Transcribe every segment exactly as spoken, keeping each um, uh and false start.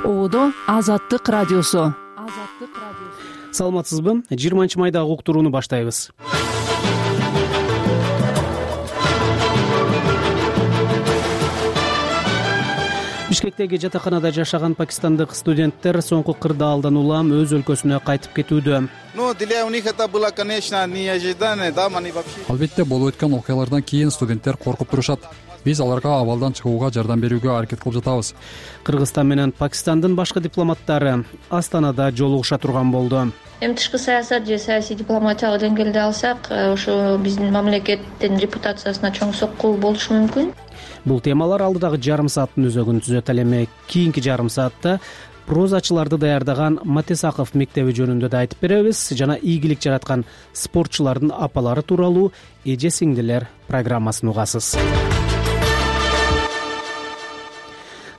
Оодо Азаттык радиосу. Саламатсызбы? жыйырманчы майдагы уктурууну баштайбыз. Бишкектеги жатаканада жашаган пакистандык студенттер соңку кырдаалдан улам өз өлкөсүнө кайтып кетүүдө. Албетте болуп өткөн окуялардан кийин студенттер коркуп турушат. Биз аларга абалдан чыгууга жардам берүүгө аракет кылып жатабыз. Кыргызстан менен Пакистандын башкы дипломаттары Астанада жолугуша турган болду. Эми тышкы саясат же саясий дипломатиялык деңгээлде алсак, ошо биздин мамлекеттин репутациясына чоң сокку болушу мүмкүн. Бул темалар алдыдагы жарым сааттын өзөгүн түзөт. Ал эми кийинки жарым саатта прозачыларды даярдаган Матесаков мектеби жөнүндө да айтып беребиз жана ийгилик жараткан спортчулардын апалары тууралуу эже сиңдилер программасын угасыз.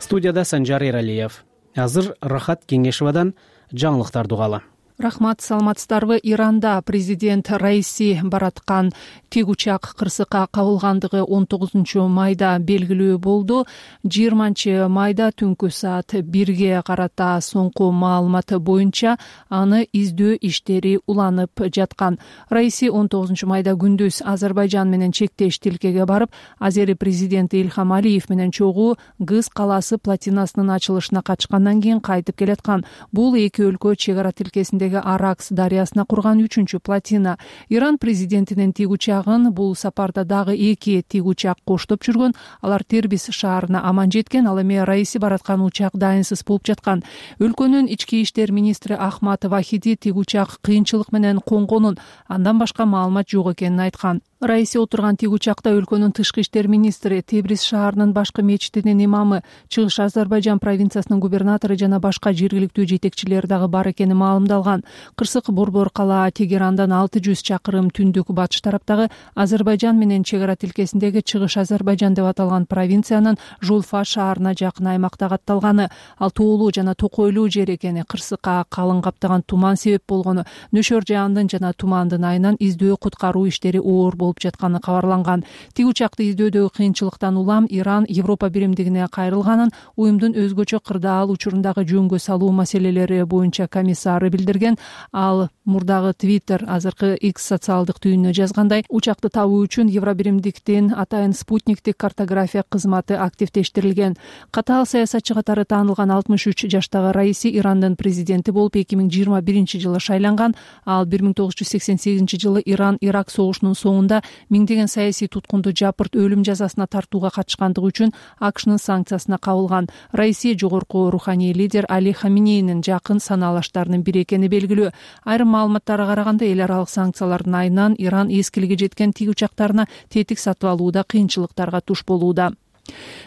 Студияда Санжар Эралиев. Азыр Рахат Кеңешевадан жаңылыктарды угалы. Рахмат, саламатсыздарбы? Иранда президент Раиси бараткан тик учак кырсыкка кабылгандыгы он тогузунчу майда белгилүү болду. жыйырманчы майда түнкү саат бирге карата соңку маалыматы боюнча аны издөө иштери уланып жаткан. Раиси он тогузунчу майда күндүз Азербайжан менен чектеш тилкеге барып, Азери президенти Ильхам Алиев менен чогуу Гыз калаасы плотинасынын ачылышына качкандан кийин кайтып келаткан. Бул эки өлкө чек ара тилкесинде Аракс дарыясына курган үчүнчү плотина. Иран президентинин тик учагын бул сапарда дагы эки тик учак коштоп жүргөн. Алар Тербис шаарына аман жеткен. Ал эми Раиси бараткан учак дайынсыз болуп жаткан. Өлкөнүн ички иштер министри Ахмад Вахиди тик учак кыйынчылык менен конгонун, андан башка маалымат жок экенин айткан. Раиси отурган тик учакта өлкөнүн тышкы иштер министри, Тебриз шаарынын башкы мечитинин имамы, Чыгыш Азербайжан провинциясынын губернатору жана башка жергиликтүү жетекчилер дагы бар экени маалымдалган. Кырсык борбор кала Тегерандан алты жүз чакырым түндүк батыш тараптагы Азербайжан менен чек ара тилкесиндеги Чыгыш Азербайжан деп аталган провинциянын Жулфа шаарына жакын аймакта катталганы. Ал тоолуу жана токойлуу жер экени, кырсыкка калың каптаган туман себеп болгону, нөшөр жаандын жана тумандын айынан издөө куткаруу иштери оор болуп жатканы кабарланган. Тик учакты издөөдөгү кыйынчылыктан улам Иран Европа биримдигине кайрылганын уюмдун өзгөчө кырдаал учурундагы жөнгө салуу маселелери боюнча комиссары билдирген. Ал мурдагы Twitter, азыркы X социалдык түйүнүнө жазгандай, учакты табуу үчүн Евробиримдиктин атайын спутниктик картография кызматы активдештирилген. Катаал саясатчы катары таанылган алтымыш үч жаштагы Раиси Ирандын президенти болуп эки миң жыйырма биринчи жылы шайланган. Ал бир миң тогуз жүз сексен сегизинчи жылы Иран-Ирак согушунун соңунда миңдеген саясий туткунду жапырт өлүм жазасына тартууга катышкандыгы үчүн АКШнын санкциясына кабылган. Раиси жогорку руханий лидер Али Хаминейнин жакын санаалаштарынын бири экени белгилүү. Айрым маалыматтарга караганда эл аралык санкциялардын айынан Иран эскилиги жеткен тик учактарына тетик сатып алууда кыйынчылыктарга туш болууда.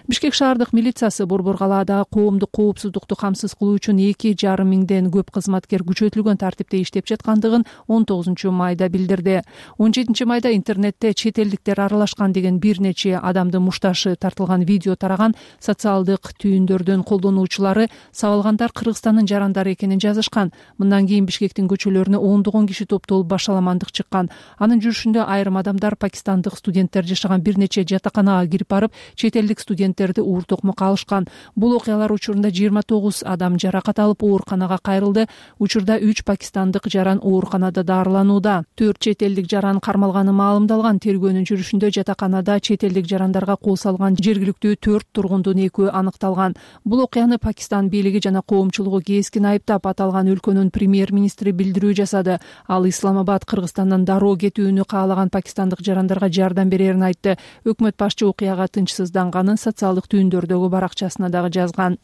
Бишкек шаардык милициясы борбор калаадагы коомдук коопсуздукту камсыз кылуу үчүн эки жарым миңден көп кызматкер күчөтүлгөн тартипте иштеп жаткандыгын он тогузунчу майда билдирди. он жетинчи майда интернетте чет элдиктер аралашкан деген бир нече адамдын мушташы тартылган видео тараган. Социалдык түйүндөрдүн колдонуучулары сабалгандар Кыргызстандын жарандары экенин жазышкан. Мындан кийин Бишкектин көчөлөрүнө ондогон киши топтолуп башаламандык чыккан. Анын жүрүшүндө айрым адамдар пакистандык студенттер жашаган бир нече жатаканага кирип барып, чет элдик студенттерди уур токмокко алышкан. Бул окуялар учурунда жыйырма тогуз адам жаракат алып ооруканага кайрылды. Учурда үч пакистандык жаран ооруканада дарыланууда. төрт чет элдик жаран кармалганы маалымдалган. Тергөөнүн жүрүшүндө жатаканада чет элдик жарандарга кол салган жергиликтүү төрт тургундун экөө аныкталган. Бул окуяны Пакистан бийлиги жана коомчулугу кескин айыптап, аталган өлкөнүн премьер-министри билдирүү жасады. Ал Исламабад Кыргызстандан дароо кетүүнү каалаган пакистандык жарандарга жардам берерин айтты. Өкмөт башчы окуяга тынчсызданганын социалдык түйүндөрдөгү баракчасына дагы жазган.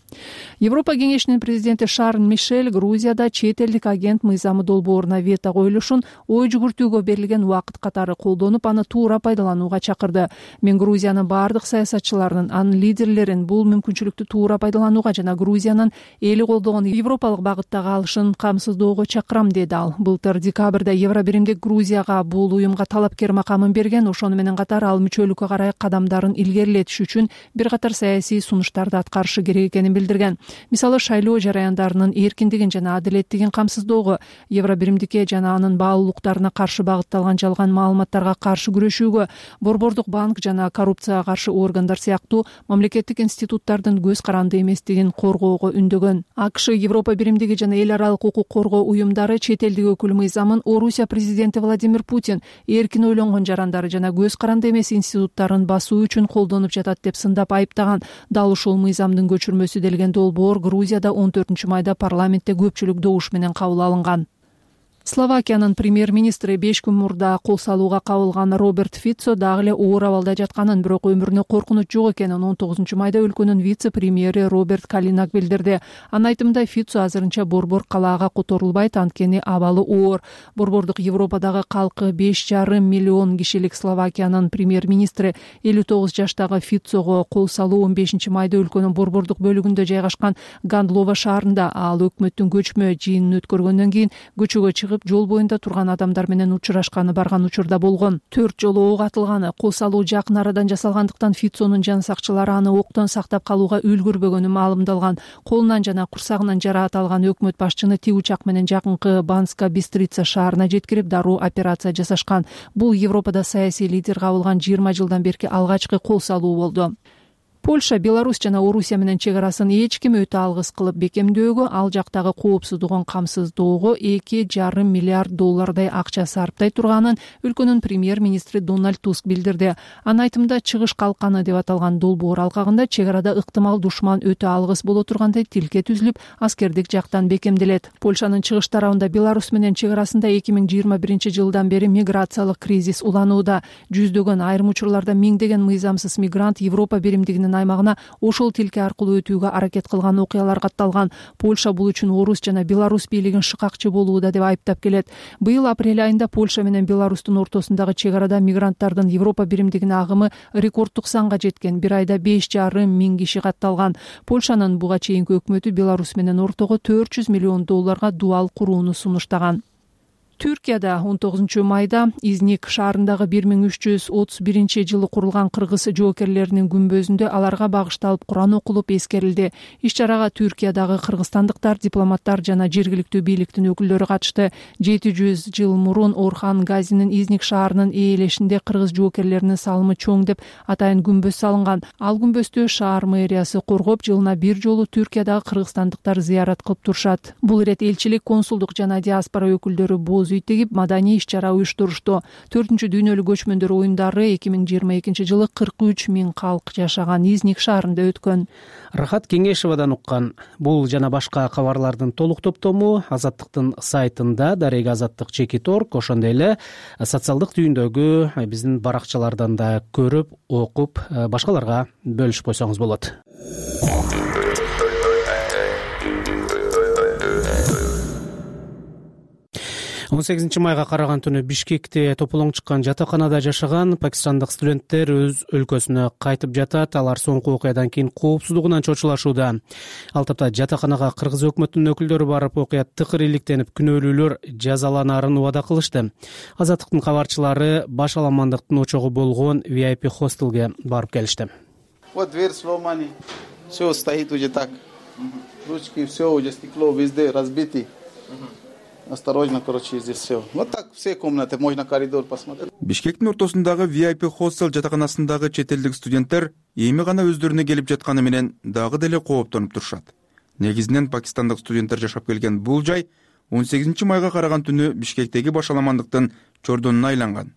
Европа кеңешинин президенти Шарль Мишель Грузияда чет элдик агент мыйзамы долбооруна вето коюлушун ой жүгүртүүгө берилген убакыт катары колдонуп, аны туура пайдаланууга чакырды. Мен Грузиянын бардык саясатчыларынын, анын лидерлерин бул мүмкүнчүлүктү туура пайдаланууга жана Грузиянын эли колдогон европалык багыттагы алышын камсыздоого чакырам, деди ал. Былтыр декабрда Евробиримдик Грузияга бул уюмга талапкер макамын берген. Ошону менен катар ал мүчөлүккө карай кадамдарын илгерилетиш үчүн үчүн бир катар саясий сунуштарды аткарышы керек экенин билдирген. Мисалы, шайлоо жараяндарынын эркиндигин жана адилеттигин камсыздоого, Евробиримдикке жана анын баалуулуктарына каршы багытталган жалган маалыматтарга каршы күрөшүүгө, Борбордук банк жана коррупцияга каршы органдар сыяктуу мамлекеттик институттардын көз каранды эместигин коргоого үндөгөн. АКШ, Европа биримдиги жана эл аралык укук коргоо уюмдары чет элдик өкүл мыйзамын Орусия президенти Владимир Путин эркин ойлонгон жарандары жана көз каранды эмес институттарын басуу үчүн колдонуп жатат деп сындап айыптаган. Дал ушул мыйзамдын көчүрмөсү делген долбоор Грузияда он төртүнчү майда парламентте көпчүлүк добуш менен кабыл алынган. Словакиянын премьер-министри беш күн мурда кол салууга кабылган Роберт Фицо дагы эле оор абалда жатканын, бирок өмүрүнө коркунуч жок экенин он тогузунчу майда өлкөнүн вице-премьери Роберт Калинак билдирди. Анын айтымында, Фицо азырынча борбор калаага которулбайт, анткени абалы оор. Борбордук Европадагы калкы беш жарым миллион кишилик Словакиянын премьер-министри элүү тогуз жаштагы Фицого кол салуу он бешинчи майда өлкөнүн борбордук бөлүгүндө жайгашкан Гандлова шаарында, ал өкмөттүн көчмө жыйынын өткөргөндөн кийин көчөгө чыгып жол боюнда турган адамдар менен учурашканы барган учурда болгон. Төрт жолу ок атылганы, кол салуу жакын арадан жасалгандыктан Фицонун жан сакчылары аны октон сактап калууга үлгүрбөгөнү маалымдалган. Колунан жана курсагынан жараат алган өкмөт башчыны тик учак менен жакынкы Банска Бистрица шаарына жеткирип, дароо операция жасашкан. Бул Европада саясий лидер кабылган жыйырма жылдан берки алгачкы кол салуу болду. Польша, Беларусь жана Орусия менен чек арасын эч ким өтө алгыс кылып бекемдөөгө, ал жактагы коопсуздугун камсыздоого эки жарым миллиард доллардай акча сарптай турганын өлкөнүн премьер-министри Дональд Туск билдирди. Анын айтымында, чыгыш калканы деп аталган долбоор алкагында чек арада ыктымал душман өтө алгыс боло тургандай тилке түзүлүп, аскердик жактан бекемделет. Польшанын чыгыш тарабында Беларусь менен чек арасында эки миң жыйырма биринчи жылдан бери миграциялык кризис уланууда. Жүздөгөн, айрым учурларда миңдеген мыйзамсыз мигрант Европа биримдигинин аймагына ошол тилке аркылуу өтүүгө аракет кылган окуялар катталган. Польша бул үчүн Орус жана Беларусь бийлигин шыкакчы болууда деп айыптап келет. Быйыл апрель айында Польша менен Беларустун ортосундагы чек арада мигранттардын Европа биримдигине агымы рекорддук санга жеткен. Бир айда беш жарым миң киши катталган. Польшанын буга чейинки өкмөтү Беларусь менен ортого төрт жүз миллион долларга дуал курууну сунуштаган. Түркияда он тогузунчу майда Изник шаарындагы бир миң үч жүз отуз биринчи жылы курулган кыргыз жоокерлеринин күмбөзүндө аларга багышталып Куран окулуп эскерилди. Иш-чарага Түркиядагы кыргызстандыктар, дипломаттар жана жергиликтүү бийликтин өкүлдөрү катышты. жети жүз жыл мурун Орхан Газинин Изник шаарынын ээлешинде кыргыз жоокерлеринин салымы чоң деп атайын күмбөз салынган. Ал күмбөздү шаар мэриясы коргоп, жылына бир жолу Түркиядагы кыргызстандыктар зыярат кылып турушат. Бул ирет элчилик, консулдук жана диаспора өкүлдөрү боз үй тегип маданий иш-чара уюштурушту. төртүнчү дүйнөлүк көчмөндөр оюндары эки миң жыйырма экинчи жылы кырк үч миң калк жашаган Изник шаарында өткөн. Рахат Кеңешевадан уккан. Бул жана башка кабарлардын толук топтому Азаттыктын сайтында, дареги Азаттык чекит точка орг, ошондой эле социалдык түйүндөгү биздин баракчалардан да көрүп, окуп, башкаларга бөлүшүп койсоңуз болот. он сегизинчи майга караган түнү Бишкекте тополоң чыккан жатаканада жашаган пакистандык студенттер өз өлкөсүнө кайтып жатат. Алар соңку окуядан кийин коопсуздугунан чочулашууда. Ал тапта жатаканага кыргыз өкмөтүнүн өкүлдөрү барып, окуя тыкыр иликтенип, күнөөлүүлөр жазаланаарын убада кылышты. Азаттыктын кабарчылары баш аламандыктын очогу болгон ви ай пи хостелге барып келишти. Вот дверь сломана, все стоит уже так. Ручки, все уже стекло везде разбиты. Осторожно, короче, здесь все. Вот так все комнаты, можно коридор посмотреть. Бишкектин ортосундагы ви ай пи хостел жатаканасындагы чет элдик студенттер эми гана өздөрүнө келип жатканы менен дагы деле кооптонуп турушат. Негизинен пакистандык студенттер жашап келген бул жай он сегизинчи майга караган түнү Бишкектеги баш аламандыктын чордонуна айланган.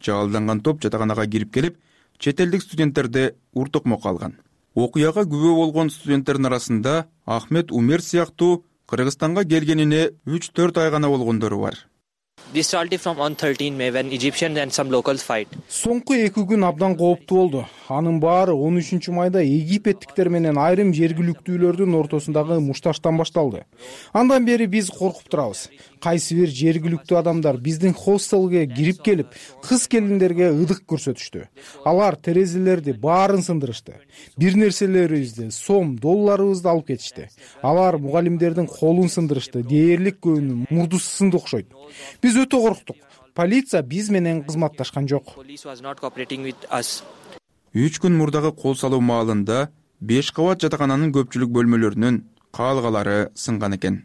Жаалданган топ жатаканага кирип келип, чет элдик студенттерди уртукмокко алган. Окуяга күбө болгон студенттердин арасында Ахмед Умер сыяктуу Кыргызстанга келгенине үч төрт ай гана болгондору бар. This started from on thirteenth May when Egyptians and some locals fight. Соңку эки күн абдан кооптуу болду. Анын баары он үчүнчү майда египеттиктер менен айрым жергиликтүүлөрдүн ортосундагы мушташтан башталды. Андан бери биз коркуп турабыз. Кайсы бир жергиликтүү адамдар биздин хостелге кирип келип, кыз келиндерге ыдык көрсөтүштү. Алар терезелерди баарын сындырышты. Бир нерселерибизди, сом, долларыбызды алып кетишти. Алар мугалимдердин колун сындырышты. Дээрлик көбүнүн мурдусу сынды окшойт. Биз өтө корктук. Полиция биз менен кызматташкан жок. үч күн мурдагы кол салуу маалында беш кабат жатакананын көпчүлүк бөлмөлөрүнүн каалгалары сынган экен.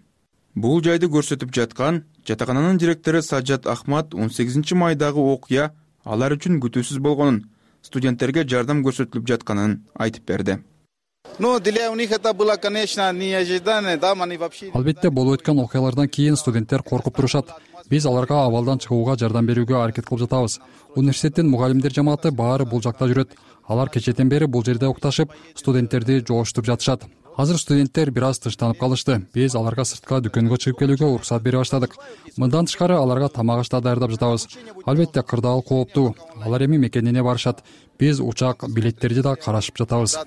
Бул жайды көрсөтүп жаткан жатакананын директору Саджат Ахмат он сегизинчи майдагы окуя алар үчүн күтүүсүз болгонун, студенттерге жардам көрсөтүлүп жатканын айтып берди. Албетте болуп өткөн окуялардан кийин студенттер коркуп турушат. Биз аларга абалдан чыгууга жардам берүүгө аракет кылып жатабыз. Университеттин мугалимдер жамааты баары бул жакта жүрөт. Алар кечээден бери бул жерде укташып, студенттерди жолуштуруп жатышат. Азыр студенттер бир аз тынчтанып калышты. Биз аларга сыртка дүкөнгө чыгып келүүгө уруксат бере баштадык. Мындан тышкары аларга тамак аш да даярдап жатабыз. Албетте кырдаал кооптуу. Алар эми мекенине барышат. Биз учак билеттерди да карашып жатабыз.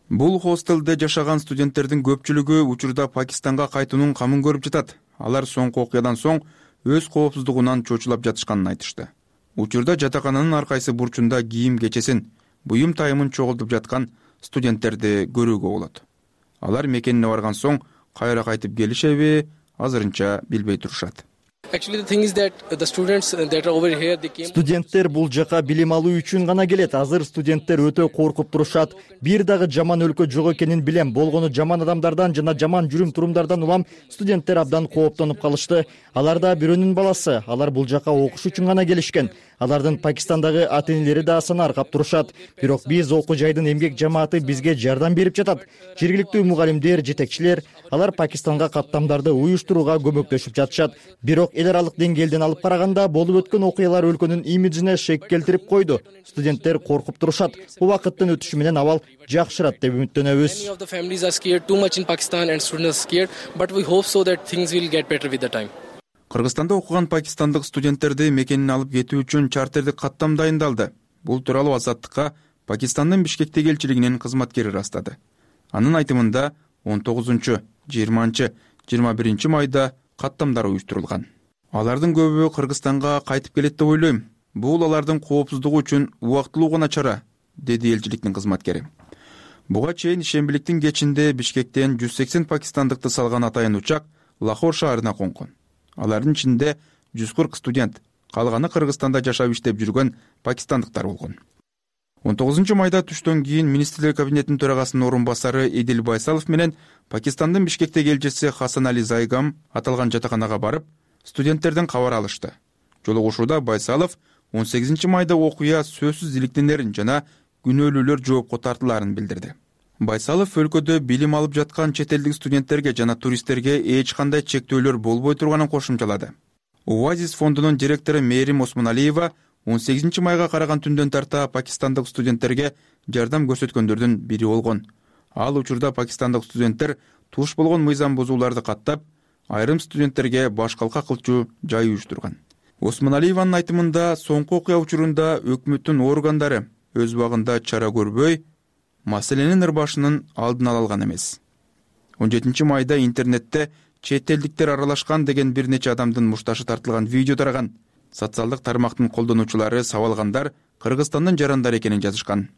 Бул хостелде жашаган студенттердин көпчүлүгү учурда Пакистанга кайтуунун камын көрүп жатат. Алар соңку окуядан соң өз коопсуздугунан чочулап жатышканын айтышты. Учурда жатакананын ар кайсы бурчунда кийим кечесин, буюм тайымын чогултуп жаткан студенттерди көрүүгө болот. Алар мекенине барган соң кайра кайтып келишеби, азырынча билбей турушат. Студенттер бул жака билим алуу үчүн гана келет. Азыр студенттер өтө коркуп турушат. Бир дагы жаман өлкө жок экенин билем. Болгону жаман адамдардан жана жаман жүрүм турумдардан улам студенттер абдан кооптонуп калышты. Алар да бирөөнүн баласы. Алар бул жака окуш үчүн гана келишкен. Алардын Пакистандагы ата-энелери да санаркап турушат. Бирок биз окуу жайдын эмгек жамааты бизге жардам берип жатат. Жергиликтүү мугалимдер, жетекчилер, алар Пакистанга каттамдарды уюштурууга көмөктөшүп жатышат. Бирок эл аралык деңгээлден алып караганда болуп өткөн окуялар өлкөнүн имиджине шек келтирип койду. Студенттер коркуп турушат. Убакыттын өтүшү менен абал жакшырат деп үмүттөнөбүз. Кыргызстанда окуган пакистандык студенттерди мекенине алып кетүү үчүн чартердик каттам дайындалды. Бул тууралуу Азаттыкка Пакистандын Бишкектеги элчилигинин кызматкери ырастады. Анын айтымында он тогузунчу, жыйырманчы, жыйырма биринчи майда каттамдар уюштурулган. Алардын көбү Кыргызстанга кайтып келет деп ойлойм. Бул алардын коопсуздугу үчүн убактылуу гана чара, деди элчиликтин кызматкери. Буга чейин ишембиликтин кечинде Бишкектен жүз сексен пакистандыкты салган атайын учак Лахор шаарына конгон. Алардын ичинде жүз кырк студент, калганы Кыргызстанда жашап иштеп жүргөн пакистандыктар болгон. он тогузунчу майда түштөн кийин министрлер кабинетинин төрагасынын орун басары Эдил Байсалов менен Пакистандын Бишкектеги элчиси Хасан Али Зайгам аталган жатаканага барып, студенттерден кабар алышты. Жолугушууда Байсалов он сегизинчи майда окуя сөзсүз иликтенерин жана күнөөлүүлөр жоопко тартылаарын билдирди. Байсалов өлкөдө билим алып жаткан чет элдик студенттерге жана туристтерге эч кандай чектөөлөр болбой турганын кошумчалады. Оазис фондунун директору Мээрим Осмоналиева он сегизинчи майга караган түндөн тарта пакистандык студенттерге жардам көрсөткөндөрдүн бири болгон. Ал учурда пакистандык студенттер туш болгон мыйзам бузууларды каттап, айрым студенттерге баш калка кылчу жай уюштурган. Осмоналиеванын айтымында соңку окуя учурунда өкмөттүн органдары өз убагында чара көрбөй, маселенин ырбашынын алдын ала алган эмес. он жетинчи майда интернетте чет элдиктер аралашкан деген бир нече адамдын мушташы тартылган видео тараган. Социалдык тармактын колдонуучулары сабалгандар Кыргызстандын жарандары экенин жазышкан.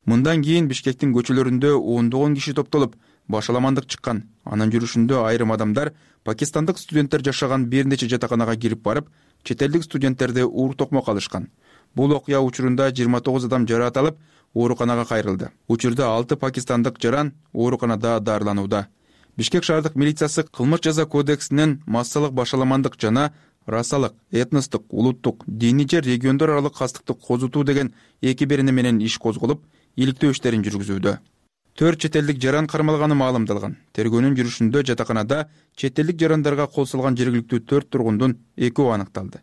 Мындан кийин Бишкектин көчөлөрүндө ондогон киши топтолуп, башаламандык чыккан. Анын жүрүшүндө айрым адамдар пакистандык студенттер жашаган бир нече жатаканага кирип барып, чет элдик студенттерди уур токмок алышкан. Бул окуя учурунда жыйырма тогуз адам жараат алып, ооруканага кайрылды. Учурда алты пакистандык жаран ооруканада дарыланууда. Бишкек шаардык милициясы кылмыш жаза кодексинин массалык башаламандык жана расалык, этностук, улуттук, диний же региондор аралык кастыкты козутуу деген эки берене менен иш козголуп, иликтөө иштерин жүргүзүүдө. Төрт чет элдик жаран кармалганы маалымдалган. Тергөөнүн жүрүшүндө жатаканада чет элдик жарандарга кол салган жергиликтүү төрт тургундун экөө аныкталды.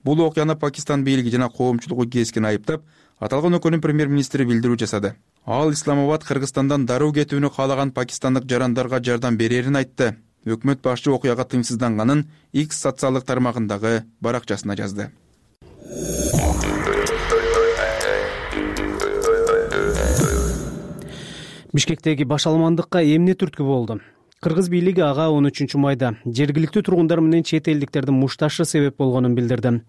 Бул окуяны Пакистан бийлиги жана коомчулугу кескен айыптап, аталган өлкөнүн премьер-министри билдирүү жасады. Ал Исламабад Кыргызстандан дароо кетүүнү каалаган пакистандык жарандарга жардам берерин айтты. Өкмөт башчы окуяга тыйымсызданганын X социалдык тармагындагы баракчасына жазды. Бишкектеги башаламандыкка эмне түрткү болду? Кыргыз бийлиги ага он үчүнчү майда жергиликтүү тургундар менен чет элдиктердин мушташы себеп болгонун билдирди.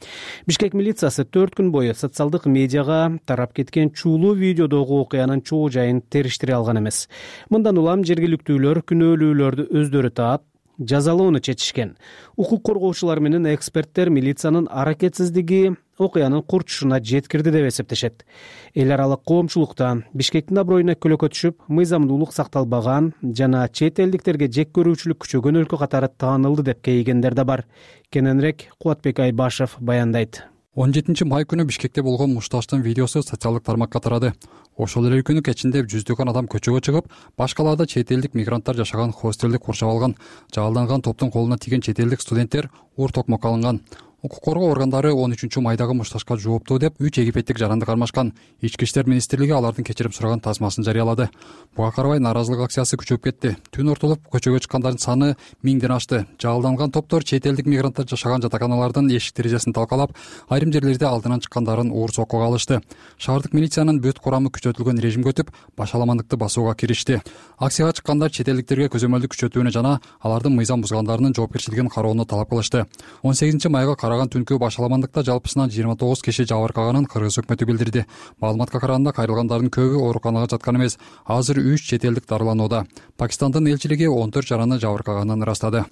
Бишкек милициясы төрт күн бою социалдык медиага тарап кеткен чуулуу видеодогу окуянын чоо жайын териштире алган эмес. Мындан улам жергиликтүүлөр күнөөлүүлөрдү өздөрү таап, жазалоону чечишкен. Укук коргоочулар менен эксперттер милициянын аракетсиздиги окуянын курчушуна жеткирди деп эсептешет. Эл аралык коомчулукта Бишкектин аброюна көлөкө түшүп, мыйзамдуулук сакталбаган жана чет элдиктерге жек көрүүчүлүк күчөгөн өлкө катары таанылды деп кейигендер да бар. Кененирээк Кубатбек Айбашев баяндайт. он жетинчи май күнү Бишкекте болгон мушташтын видеосу социалдык тармакка тарады. Ошол эле күнү кечинде жүздөгөн адам көчөгө чыгып, баш калаада чет элдик мигранттар жашаган хостелди курчап алган. Жаалданган топтун колуна тиген чет элдик студенттер ур токмокко алынган. Укук коргоо органдары он үчүнчү майдагы мушташка жооптуу деп үч египеттик жаранды кармашкан. Ички иштер министрлиги алардын кечирим сураган тасмасын жарыялады. Буга карабай нааразылык акциясы күчөп кетти. Түн ортолуп көчөгө чыккандардын саны миңден ашты. Жаалданган топтор чет элдик мигранттар жашаган жатаканалардын эшик терезесин талкалап, айрым жерлерде алдынан чыккандарын уур соккуга алышты. Шаардык милициянын бүт курамы күчөтүлгөн режимге өтүп, башаламандыкты басууга киришти. Акцияга чыккандар чет элдиктерге көзөмөлдүк күчөтүүнү жана алардын мыйзам бузгандарынын жоопкерчилигин кароону талап кылышты. он сегизинчи майга караган түнкү башаламандыкта жалпысынан жыйырма тогуз киши жабыркаганын Кыргыз өкмөтү билдирди. Маалыматка караганда кайрылгандардын көбү ооруканага жаткан эмес. Азыр үч чет элдик дарыланууда. Пакистандын элчилиги он төрт жараны жабыркаганын ырастады.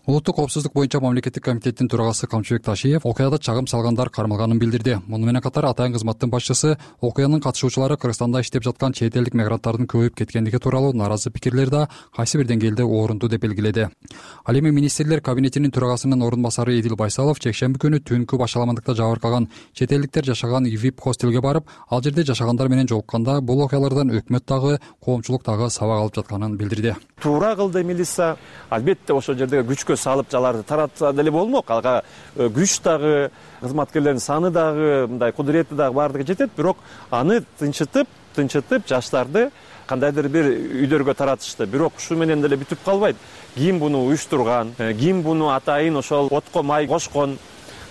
Улуттук коопсуздук боюнча мамлекеттик комитеттин төрагасы Камчыбек Ташиев окуяда чагым салгандар кармалганын билдирди. Муну менен катар атайын кызматтын башчысы окуянын катышуучулары Кыргызстанда иштеп жаткан чет элдик мигранттардын көбөйүп кеткендиги тууралуу нааразы пикирлер да кайсы бир деңгээлде орунду деп белгиледи. Ал эми министрлер кабинетинин төрагасынын орун басары Эдил Байсалов жекшемби күнү түнкү башаламандыкта жабыркаган чет элдиктер жашаган ви ай пи хостелге барып, ал жерде жашагандар менен жолукканда бул окуялардан өкмөт дагы, коомчулук дагы сабак алып жатканын билдирди. Туура кылды милиция. Албетте ошол жерде күчкө салып жаларды таратса деле болмок. Ага күч дагы, кызматкерлердин саны дагы, мындай кудурети дагы баардыгы жетет, бирок аны тынчытып, тынчытып жаштарды кандайдыр бир үйлөргө таратышты. Бирок ушу менен деле бүтүп калбайт. Ким буну уюштурган, ким буну атайын ошол отко май кошкон,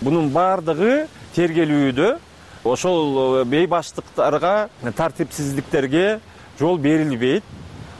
бунун баардыгы тергелүүдө ошол бейбаштыктарга, тартипсиздиктерге жол берилбейт.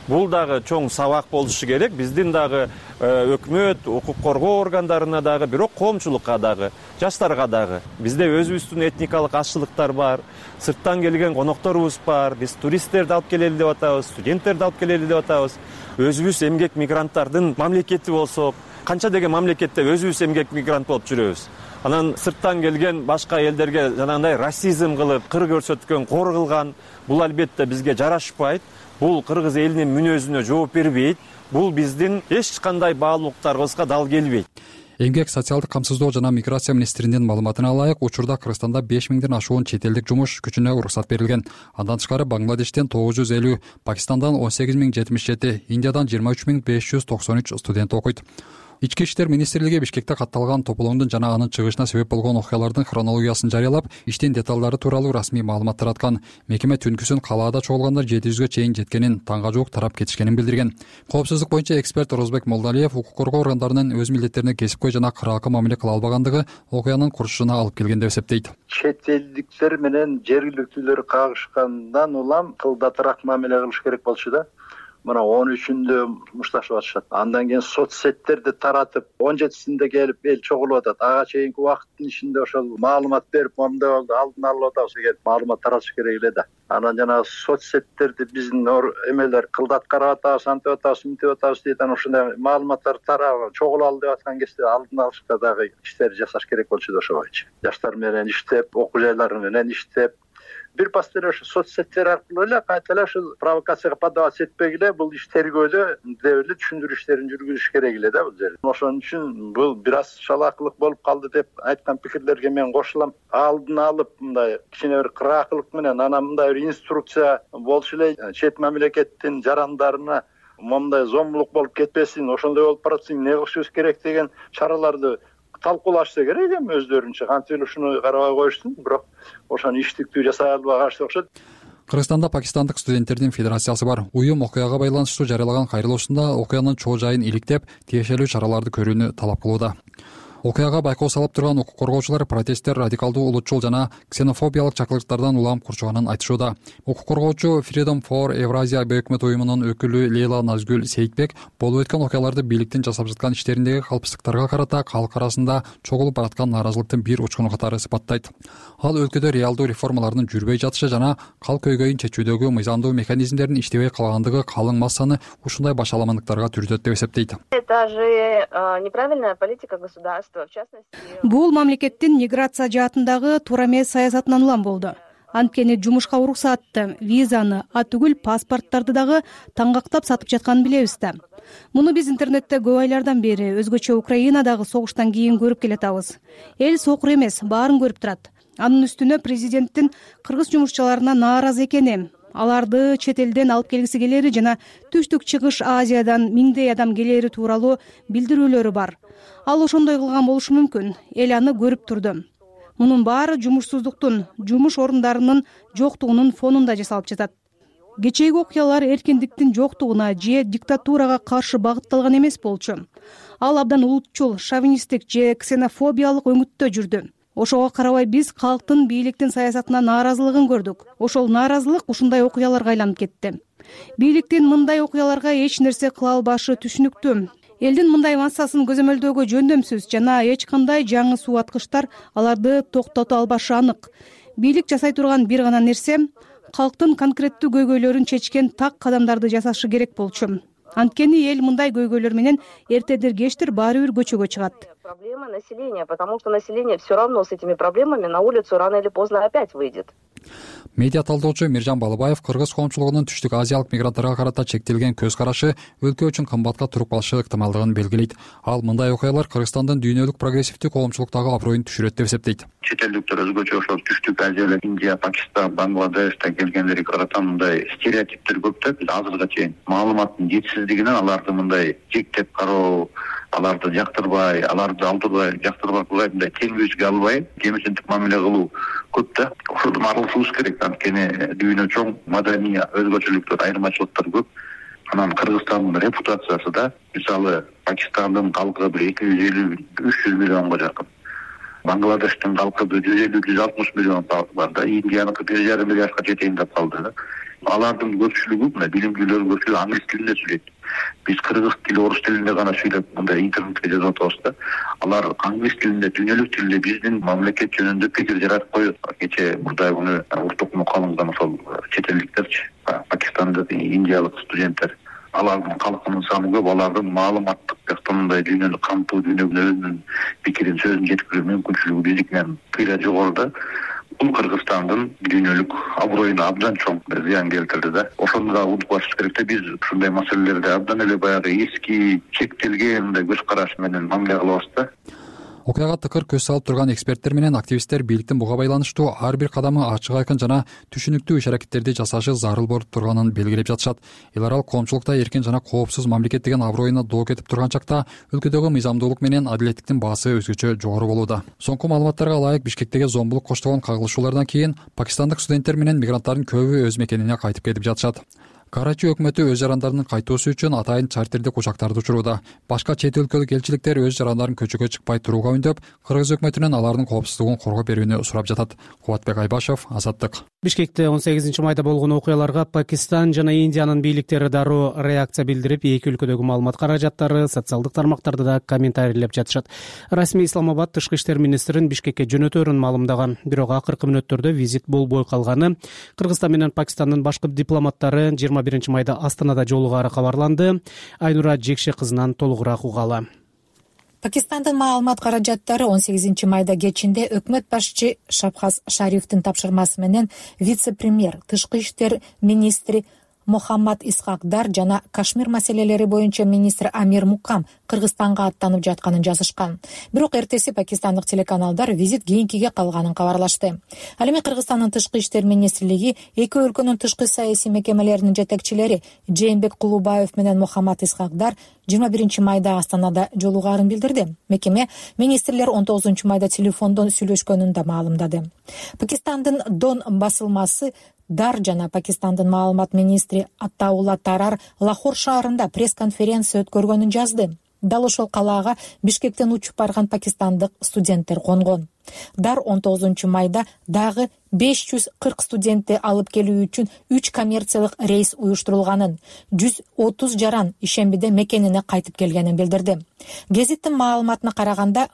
Бул дагы чоң сабак болушу керек. Биздин дагы өкмөт, укук коргоо органдарына дагы, бирок коомчулукка дагы, жаштарга дагы. Бизде өзүбүздүн этникалык азчылыктар бар, сырттан келген конокторубуз бар. Биз туристтерди алып келели деп атабыз, студенттерди алып келели деп атабыз. Өзүбүз эмгек мигранттардын мамлекети болсок, канча деген мамлекетте өзүбүз эмгек мигрант болуп жүрөбүз. Анан сырттан келген башка элдерге жанагындай расизм кылып, кыр көрсөткөн, кор кылган, бул албетте бизге жарашпайт. Бул кыргыз элинин мүнөзүнө жооп бербейт. Бул биздин эч кандай баалуулуктарыбызга дал келбейт. Эмгек, социалдык камсыздоо жана миграция министринин маалыматына ылайык, учурда Кыргызстанда беш миңден ашуун чет элдик жумуш күчүнө уруксат берилген. Андан тышкары Бангладештен тогуз жүз элүү, Пакистандан он сегиз миң жетимиш жети, Индиядан жыйырма үч миң беш жүз токсон үч студент окуйт. Ички иштер министрлиги Бишкекте катталган тополоңдун жана анын чыгышына себеп болгон окуялардын хронологиясын жарыялап, иштин деталдары тууралуу расмий маалымат тараткан. Мекеме түнкүсүн калаада чогулгандар жети жүзгө чейин жеткенин, таңга жуук тарап кетишкенин билдирген. Коопсуздук боюнча эксперт Орозбек Молдалиев укук коргоо органдарынын өз милдеттерине кесипкөй жана кыраакы мамиле кыла албагандыгы окуянын курчушуна алып келген деп эсептейт. Чет элдиктер менен жергиликтүүлөр кагышкандан улам кылдатыраак мамиле кылыш керек болчу да. Мына он үчүндө мушташып атышат. Андан кийин соцсеттерди таратып, он жетисинде келип эл чогулуп атат. Ага чейинки убакыттын ичинде ошол маалымат берип, моундай болду, алдын алып атабыз деген маалымат таратыш керек эле да. Анан жана соцсеттерди биздин эмелер кылдат карап атабыз, антип атабыз, мынтип атабыз дейт. Анан ошондой маалыматтар тарап, чогулалы деп аткан кезде алдын алышка дагы иштер жасаш керек болчу да ошо боюнча. Жаштар менен иштеп, окуу жайлары менен иштеп, бир пастер ошо соцсеттер аркылуу эле кайта эле ушул провокацияга поддаваться этпей эле бул иш тергөөдө деп эле түшүндүрүү иштерин жүргүзүш керек эле да бул жерде. Ошон үчүн бул бир аз шалаакылык болуп калды деп айткан пикирлерге мен кошулам. Алдын алып мындай кичине бир кыраакылык менен анан мындай бир инструкция болчу эле чет мамлекеттин жарандарына моундай зомбулук болуп кетпесин, ошондой болуп баратсың, эмне кылышыбыз керек деген чараларды талкуулашса керек эми өздөрүнчө. Кантип эле ушуну карабай коюштун, бирок ошону иштиктүү жасай албагачты окшойт. Кыргызстанда пакистандык студенттердин федерациясы бар. Уюм окуяга байланыштуу жарыялаган кайрылуусунда окуянын чоо жайын иликтеп, тиешелүү чараларды көрүүнү талап кылууда. окуяга байкоо салып турган укук коргоочулар протесттер радикалдуу улутчул жана ксенофобиялык чакырыктардан улам курчуганын айтышууда. Укук коргоочу Freedom for Eurasia өкмөт уюмунун өкүлү Лейла Назгүл Сейитбек болуп өткөн окуяларды бийликтин жасап жаткан иштериндеги калпсыздыктарга карата калк арасында чогулуп бараткан нааразылыктын бир учкуну катары сыпаттайт. Ал өлкөдө реалдуу реформалардын жүрбөй жатышы жана кал көйгөйүн чечүүдөгү мыйзамдуу механизмдердин иштебей калгандыгы калың массаны ушундай башаламандыктарга түрүтөт деп эсептейт. Это же неправильная политика государства, в частности. Бул мамлекеттин миграция жаатындагы туура эмес саясатынан улам болду. Анткени жумушка уруксатты, визаны, а түгүл паспорттарды дагы таңгактап сатып жатканын билебиз да. Муну биз интернетте көп айлардан бери өзгөчө Украинадагы согуштан кийин көрүп келатабыз. Эл сокур эмес, баарын көрүп турат. Анын үстүнө президенттин кыргыз жумушчуларына нааразы экени, аларды чет элден алып келгиси келери жана Түштүк Чыгыш Азиядан миңдей адам келери тууралуу билдирүүлөрү бар. Ал ошондой кылган болушу мүмкүн. Эл аны көрүп турду. Мунун баары жумушсуздуктун, жумуш орундарынын жоктугунун фонунда жасалып жатат. Кечээги окуялар эркиндиктин жоктугуна же диктатурага каршы багытталган эмес болчу. Ал абдан улутчул, шовинисттик же ксенофобиялык өңүттө жүрдү. Ошого карабай биз калктын бийликтин саясатына нааразылыгын көрдүк. Ошол нааразылык ушундай окуяларга айланып кетти. Бийликтин мындай окуяларга эч нерсе кыла албашы түшүнүктүү. Элдин мындай массасын көзөмөлдөөгө жөндөмсүз жана эч кандай жаңы суу аткычтар аларды токтото албашы анык. Бийлик жасай турган бир гана нерсе калктын конкреттүү көйгөйлөрүн чечкен так кадамдарды жасашы керек болчу. Анткени эл мындай көйгөйлөр менен эртедир кечтир баары бир көчөгө чыгат. Проблема населения, потому что население все равно с этими проблемами на улицу рано или поздно опять выйдет. Медиа талдоочу Миржан Балыбаев кыргыз коомчулугунун түштүк азиялык мигранттарга карата чектелген көз карашы өлкө үчүн кымбатка туруп калышы ыктымалдыгын белгилейт. Ал мындай окуялар Кыргызстандын дүйнөлүк прогрессивдүү коомчулуктагы аброюн түшүрөт деп эсептейт. Чет элдиктер өзгөчө ошол түштүк азиялык Индия, Пакистан, Бангладештен келгендерге карата мындай стереотиптер көп да. Биз азыркыга чейин маалыматтын жетишсиздигинен аларды мындай жектеп кароо, аларды жактырбай, аларды алдырбай, жактырбай мындай келбүүсүгө албай, кемсиндик мамиле кылуу көп да. Ошодон арылышыбыз керек. Анткени дүйнө чоң, маданий өзгөчөлүктөр, айырмачылыктар көп. Анан Кыргызстандын репутациясы да, мисалы, Пакистандын калкы бир эки жүз элүү үч жүз миллионго жакын. Бангладештин калкы бир жүз элүү жүз алтымыш миллион бар да, Индияныкы бир жарым миллиардка жетейин деп калды. Алардын көпчүлүгү, мына билимдүүлөр көпчүлүгү англис тилинде сүйлөйт. Биз кыргыз тили, орус тилинде гана сүйлөп, мындай интернетке жазып атабыз да. Алар англис тилинде, дүйнөлүк тилде биздин мамлекет жөнүндө пикир жаратып коет. Кечээ мурдай күнү уртук мукалымган ошол чет элдиктерчи, Пакистандык, индиялык студенттер. Алардын калкынын саны көп, алардын маалыматтык жактан мындай дүйнөнү камтуу, дүйнөгө өзүнүн пикирин, сөзүн жеткирүү мүмкүнчүлүгү биздикинен кыйла жогору. Бул Кыргызстандын дүйнөлүк аброюна абдан чоң зыян келтирди да. Ошону да унутпашыбыз керек да, биз ушундай маселелерде абдан эле баягы эски, чектелген мындай көз караш менен мамиле кылабыз да. Окуяга тыкыр көз салып турган эксперттер менен активисттер бийликтин буга байланыштуу ар бир кадамы ачык айкын жана түшүнүктүү иш-аракеттерди жасашы зарыл болуп турганын белгилеп жатышат. Эл аралык коомчулукта эркин жана коопсуз мамлекет деген аброюна доо кетип турган чакта өлкөдөгү мыйзамдуулук менен адилеттиктин баасы өзгөчө жогору болууда. Соңку маалыматтарга ылайык Бишкектеги зомбулук коштогон кагылышуулардан кийин пакистандык студенттер менен мигранттардын көбү өз мекенине кайтып кетип жатышат. Карачи өкмөтү өз жарандарынын кайтуусу үчүн атайын чартердик учактарды учурууда. Башка чет өлкөлүк элчиликтер өз жарандарын көчөгө чыкпай турууга үндөп, кыргыз өкмөтүнөн алардын коопсуздугун коргоп берүүнү сурап жатат. Кубатбек Айбашев, Азаттык. Бишкекте он сегизинчи майда болгон окуяларга Пакистан жана Индиянын бийликтери дароо реакция билдирип, эки өлкөдөгү маалымат каражаттары, социалдык тармактарды да комментарийлеп жатышат. Расмий Исламабад тышкы иштер министрин Бишкекке жөнөтөөрүн маалымдаган, бирок акыркы мүнөттөрдө визит болбой калганы, Кыргызстан менен Пакистандын башкы дипломаттары жыйырма биринчи майда Астанада жолугаары кабарланды. Айнура Жекше кызынан толугураак угалы. Пакистандын маалымат каражаттары он сегизинчи майда кечинде өкмөт башчы Шабхаз Шарифтин тапшырмасы менен вице-премьер, тышкы иштер министри Мухаммад Исхакдар жана Кашмир маселелери боюнча министр Амир Мукам Кыргызстанга аттанып жатканын жазышкан. Бирок эртеси пакистандык телеканалдар визит кийинкиге калганын кабарлашты. Ал эми Кыргызстандын тышкы иштер министрлиги эки өлкөнүн тышкы саясий мекемелеринин жетекчилери Жээнбек Кулубаев менен Мухаммад Исхакдар жыйырма биринчи майда Астанада жолугаарын билдирди. Мекеме министрлер он тогузунчу майда телефондон сүйлөшкөнүн да маалымдады. Пакистандын Дон басылмасы Дар жана Пакистандын маалымат министри Аттаула Тарар Лахор шаарында пресс-конференция өткөргөнүн жазды. Дал ошол калаага Бишкектен учуп барган пакистандык студенттер конгон. Дар он тогузунчу майда дагы беш жүз кырк студентти алып келүү үчүн үч коммерциялык рейс уюштурулганын, жүз отуз жаран ишембиде мекенине кайтып келгенин билдирди. Гезиттин маалыматына караганда,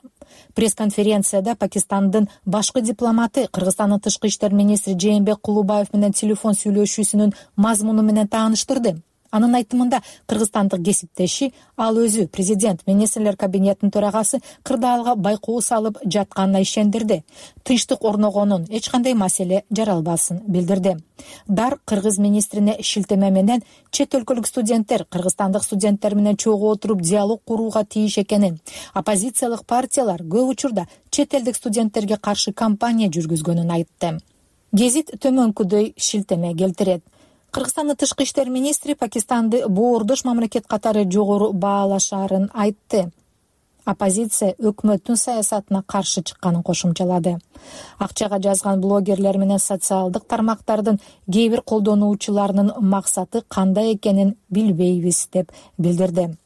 пресс-конференцияда Пакистандын башкы дипломаты Кыргызстандын тышкы иштер министри Жээнбек Кулубаев менен телефон сүйлөшүүсүнүн мазмуну менен тааныштырды. Анын айтымында, кыргызстандык кесиптеши ал өзү президент министрлер кабинетинин төрагасы кырдаалга байкоо салып жатканына ишендирди. Тынчтык орногонун, эч кандай маселе жаралбасын билдирди. Дар кыргыз министрине шилтеме менен чет өлкөлүк студенттер кыргызстандык студенттер менен чогуу отуруп диалог курууга тийиш экенин, оппозициялык партиялар көп учурда чет элдик студенттерге каршы кампания жүргүзгөнүн айтты. Гезит төмөнкүдөй шилтеме келтирет. Кыргызстандын тышкы иштер министри Пакистанды боордош мамлекет катары жогору баалашаарын айтты. Оппозиция өкмөттүн саясатына каршы чыкканын кошумчалады. Акчага жазган блогерлер менен социалдык тармактардын кээ бир колдонуучуларынын максаты кандай экенин билбейбиз деп билдирди.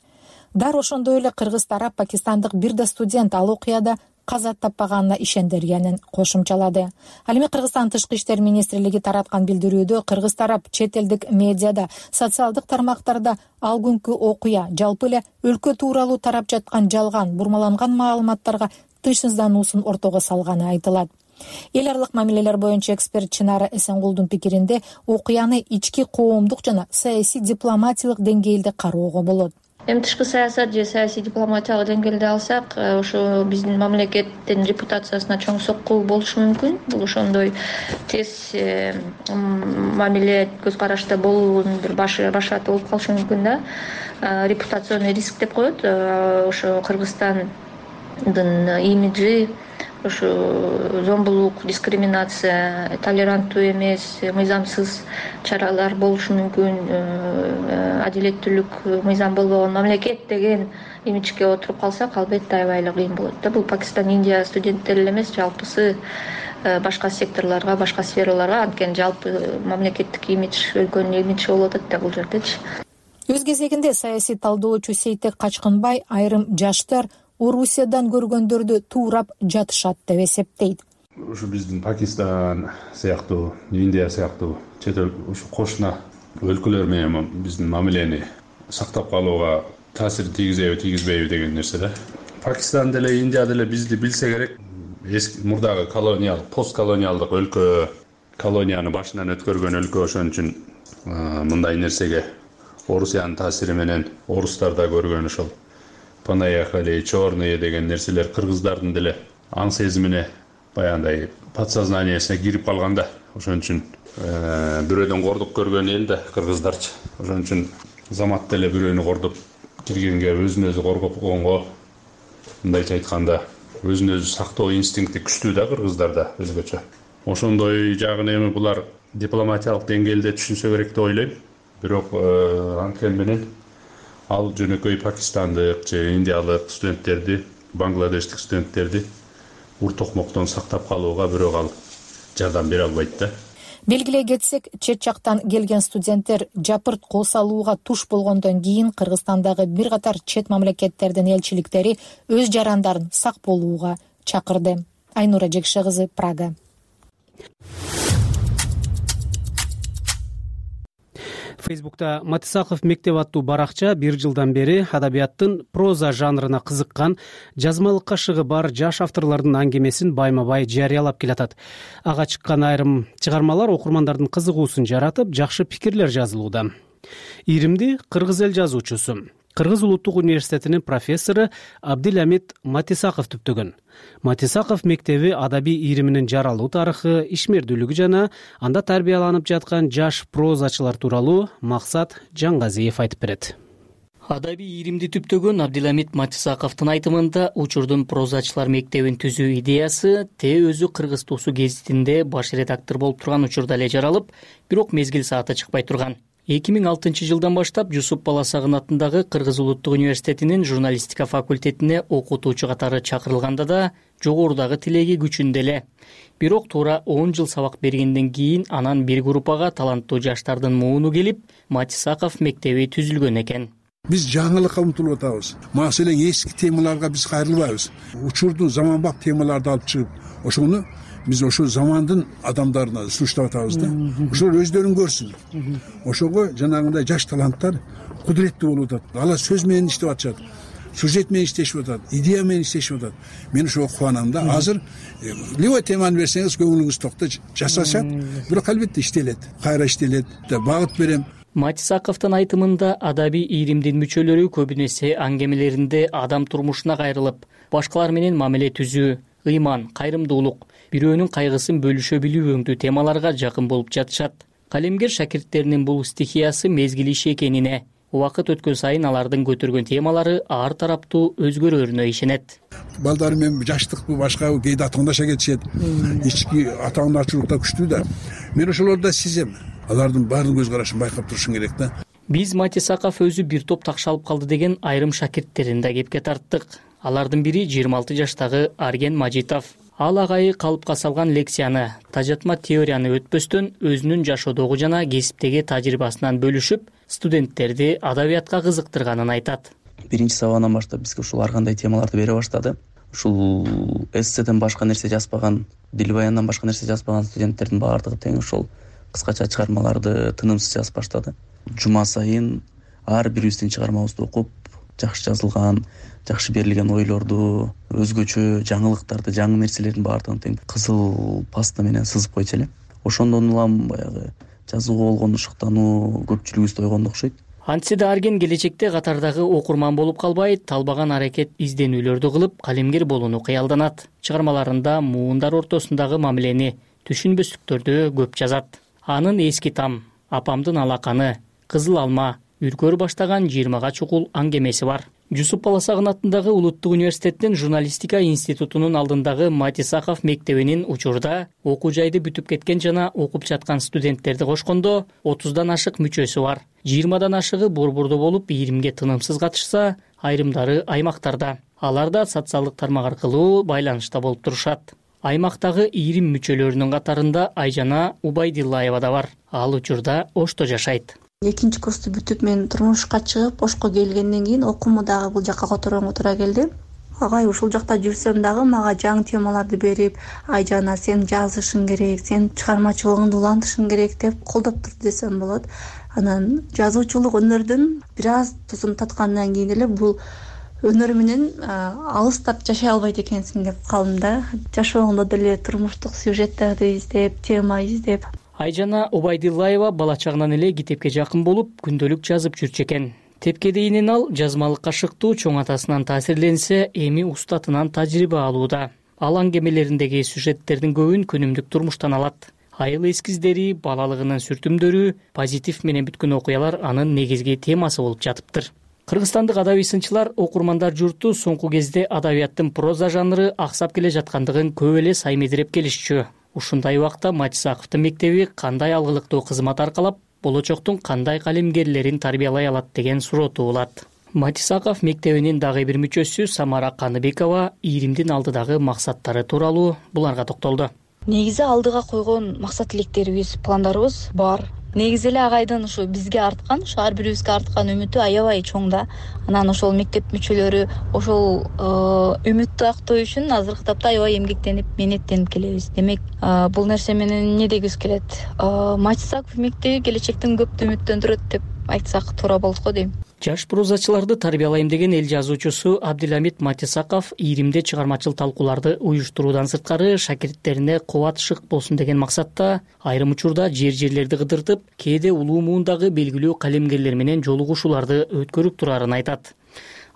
Дар ошондой эле кыргыз тарап пакистандык бир да студент ал окуяда каза таппаганына ишендиргенин кошумчалады. Ал эми Кыргызстан тышкы иштер министрлиги тараткан билдирүүдө кыргыз тарап чет элдик медиада, социалдык тармактарда ал күнкү окуя жалпы эле өлкө тууралуу тарап жаткан жалган, бурмаланган маалыматтарга тынчсыздануусун ортого салганы айтылат. Эл аралык мамилелер боюнча эксперт Чынара Эсенгулдун пикиринде, окуяны ички коомдук жана саясий дипломатиялык деңгээлде кароого болот. Эми тышкы саясат же саясий дипломатиялык деңгээлде алсак, ошо биздин мамлекеттин репутациясына чоң сокку болушу мүмкүн. Бул ошондой тез мамиле көз карашта болуунун бир башы башаты болуп калышы мүмкүн да. Репутационный риск деп коет. Ошо Кыргызстандын имиджи, ошо зомбулук, дискриминация, толеранттуу эмес, мыйзамсыз чаралар болушу мүмкүн, адилеттүүлүк, мыйзам болбогон мамлекет деген имиджге отуруп калсак, албетте аябай эле кыйын болот да. Бул Пакистан, Индия студенттери эле эмес, жалпысы башка секторлорго, башка сфераларга, анткени жалпы мамлекеттик имидж, өлкөнүн имиджи болуп атат да бул жердечи. Өз кезегинде саясий талдоочу Сейтек Качкынбай айрым жаштар Орусиядан көргөндөрдү туурап жатышат деп эсептейт. Ушу биздин Пакистан сыяктуу, Индия сыяктуу чет ушу кошуна өлкөлөр менен биздин мамилени сактап калууга таасир тийгизеби, тийгизбейби деген нерсе да. Пакистан деле, Индия деле бизди билсе керек. Эски мурдагы колониалдык, постколониалдык өлкө, колонияны башынан өткөргөн өлкө, ошон үчүн мындай нерсеге Орусиянын таасири менен орустар да көргөн ошол понаехали, черные деген нерселер кыргыздардын деле аң сезимине, баягындай подсознаниясына кирип калганда. Ошон үчүн бирөөдөн кордук көргөн эл да кыргыздарчы. Ошон үчүн замат деле бирөөнү кордоп киргенге, өзүн өзү коргопконго, мындайча айтканда, өзүн өзү сактоо инстинкти күчтүү да кыргыздарда өзгөчө. Ошондой жагын эми булар дипломатиялык деңгээлде түшүнсө керек деп ойлойм. Бирок анткени менен ал жөнөкөй пакистандык же индиялык студенттерди, бангладештик студенттерди уртокмоктон сактап калууга бирок ал жардам бере албайт да. Белгилей кетсек, чет жактан келген студенттер жапырт кол салууга туш болгондон кийин Кыргызстандагы бир катар чет мамлекеттердин элчиликтери өз жарандарын сак болууга чакырды. Айнура Жекше кызы, Прага. Фейсбукта Матисаков мектеп аттуу баракча бир жылдан бери адабияттын проза жанрына кызыккан, жазмалыкка шыгы бар жаш авторлордун аңгемесин байма-бай жарыялап келатат. Ага чыккан айрым чыгармалар окурмандардын кызыгуусун жаратып, жакшы пикирлер жазылууда. Иримди кыргыз эл жазуучусу, Кыргыз улуттук университетинин профессору Абдиламит Матисаков түптөгөн. Матисаков мектеби адабий ириминин жаралуу тарыхы, ишмердүүлүгү жана анда тарбияланып жаткан жаш прозачылар тууралуу Максат Жаңгазиев айтып берет. Адабий иримди түптөгөн Абдиламит Матисаковдун айтымында учурдун прозачылар мектебин түзүү идеясы те өзү Кыргыз туусу гезитинде баш редактор болуп турган учурда эле жаралып, бирок мезгил сааты чыкпай турган. эки миң алтынчы жылдан баштап Жусуп Баласагын атындагы Кыргыз улуттук университетинин журналистика факультетине окутуучу катары чакырылганда да жогорудагы тилеги күчүндө эле. Бирок туура он жыл сабак бергенден кийин анан бир группага таланттуу жаштардын мууну келип, Матисаков мектеби түзүлгөн экен. Биз жаңылыкка умтулуп атабыз. Маселен эски темаларга биз кайрылбайбыз. Учурдун заманбап темаларды алып чыгып, ошону биз ошол замандын адамдарына сунуштап атабыз да. Ошолор өздөрүн көрсүн. Ошого жанагындай жаш таланттар кудуреттүү болуп атат. Алар сөз менен иштеп атышат. Сюжет менен иштешип атат, идея менен иштешип атат. Мен ошого кубанам да. Азыр любой теманы берсеңиз көңүлүңүз токтойт, жасашат, бирок албетте иштелет, кайра иштелет деп багыт берем. Матисаковдун айтымында адабий ийримдин мүчөлөрү көбүнесе аңгемелеринде адам турмушуна кайрылып, башкалар менен мамиле түзүү, ыйман, кайрымдуулук, бирөөнүн кайгысын бөлүшө билүү өңдүү темаларга жакын болуп жатышат. Калемгер шакирттеринин бул стихиясы мезгил иши экенине, убакыт өткөн сайын алардын көтөргөн темалары ар тараптуу өзгөрөрүнө ишенет. Балдар менен жаштыкпы, башкабы кээде атаңдаша кетишет. Ички атаңдачылыкта күчтүү да. Мен ошолорду сезем. Алардын баардык көз карашын байкап турушум керек да. Биз Матисаков өзү бир топ такшалып калды деген айрым шакирттерин да кепке тарттык. Алардын бири жыйырма алты жаштагы Арген Мажитов. Ал агайы калыпка салган лекцияны, тажатма теорияны өтпөстөн өзүнүн жашоодогу жана кесиптеги тажрыйбасынан бөлүшүп, студенттерди адабиятка кызыктырганын айтат. Биринчи сабагынан баштап бизге ушул ар кандай темаларды бере баштады. Ушул эсседен башка нерсе жазбаган, дил баяндан башка нерсе жазбаган студенттердин баардыгы тең ошол кыскача чыгармаларды тынымсыз жазып баштады. Жума сайын ар бирибиздин чыгармабызды окуп, жакшы жазылган, жакшы берилген ойлорду, өзгөчө жаңылыктарды, жаңы нерселердин баардыгын тең кызыл паста менен сызып койчу элем. Ошондон улам баягы жазууга болгон ушуктануу көпчүлүгүбүздө ойгонду окшойт. Антсе да Арген келечекте катардагы окурман болуп калбай, талбаган аракет изденүүлөрдү кылып, калемгер болууну кыялданат. Чыгармаларында муундар ортосундагы мамилени, түшүнбөстүктөрдү көп жазат. Анын Эски там, Апамдын алаканы, Кызыл алма, Үркөр баштаган жыйырмага чукул аңгемеси бар. Жусуп Баласагын атындагы Улуттук университеттин журналистика институтунун алдындагы Матисаков мектебинин учурда окуу жайды бүтүп кеткен жана окуп жаткан студенттерди кошкондо отуздан ашык мүчөсү бар. жыйырмадан ашыгы борбордо болуп, ийримге тынымсыз катышса, айрымдары аймактарда. Алар да социалдык тармак аркылуу байланышта болуп турушат. Аймактагы ийрим мүчөлөрүнүн катарында Айжана Убайдиллаева да бар. Ал учурда Ошто жашайт. Экинчи курсту бүтүп мен турмушка чыгып, Ошко келгенден кийин окууму дагы бул жакка которгонго туура келди. Агай ушул жакта жүрсөм дагы мага жаңы темаларды берип, Айжана сен жазышың керек, сен чыгармачылыгыңды улантышың керек деп колдоп турду десем болот. Анан жазуучулук өнөрдүн бир аз тузун таткандан кийин эле бул өнөр менен алыстап жашай албайт экенсиң деп калдым да. Жашоомдо деле турмуштук сюжеттерди издеп, тема издеп. Айжана Убайдиллаева бала чагынан эле китепке жакын болуп, күндөлүк жазып жүрчү экен. Тепке дейинен ал жазмалыкка шыктуу, чоң атасынан таасирленсе, эми устатынан тажрыйба алууда. Ал аңгемелериндеги сюжеттердин көбүн күнүмдүк турмуштан алат. Айыл эскиздери, балалыгынын сүртүмдөрү, позитив менен бүткөн окуялар анын негизги темасы болуп жатыптыр. Кыргызстандык адабий сынчылар, окурмандар журту соңку кезде адабияттын проза жанры аксап келе жаткандыгын көп эле саймедиреп келишчү. Ушундай убакта Матисаковдун мектеби кандай алгылыктуу кызмат аркалап, болочоктун кандай калемгерлерин тарбиялай алат деген суроо туулат. Матисаков мектебинин дагы бир мүчөсү Самара Каныбекова ийримдин алдыдагы максаттары тууралуу буларга токтолду. Негизи алдыга койгон максат тилектерибиз, пландарыбыз бар. Негизи эле агайдын ушу бизге арткан, ушу ар бирибизге арткан үмүтү аябай чоң да. Анан ошол мектеп мүчөлөрү ошол үмүттү актоо үчүн азыркы тапта аябай эмгектенип, менеттенип келебиз. Демек, бул нерсе менен эмне дегибиз келет? Матисаков мектеби келечектен көптү үмүттөндүрөт деп айтсак туура болот го дейм. Жаш прозачыларды тарбиялайм деген эл жазуучусу Абдиламит Матисаков ийримде чыгармачыл талкууларды уюштуруудан сырткары шакирттерине кубат шык болсун деген максатта айрым учурда жер-жерлерди кыдыртып, кээде улуу муундагы белгилүү калемгерлер менен жолугушууларды өткөрүп турарын айтат.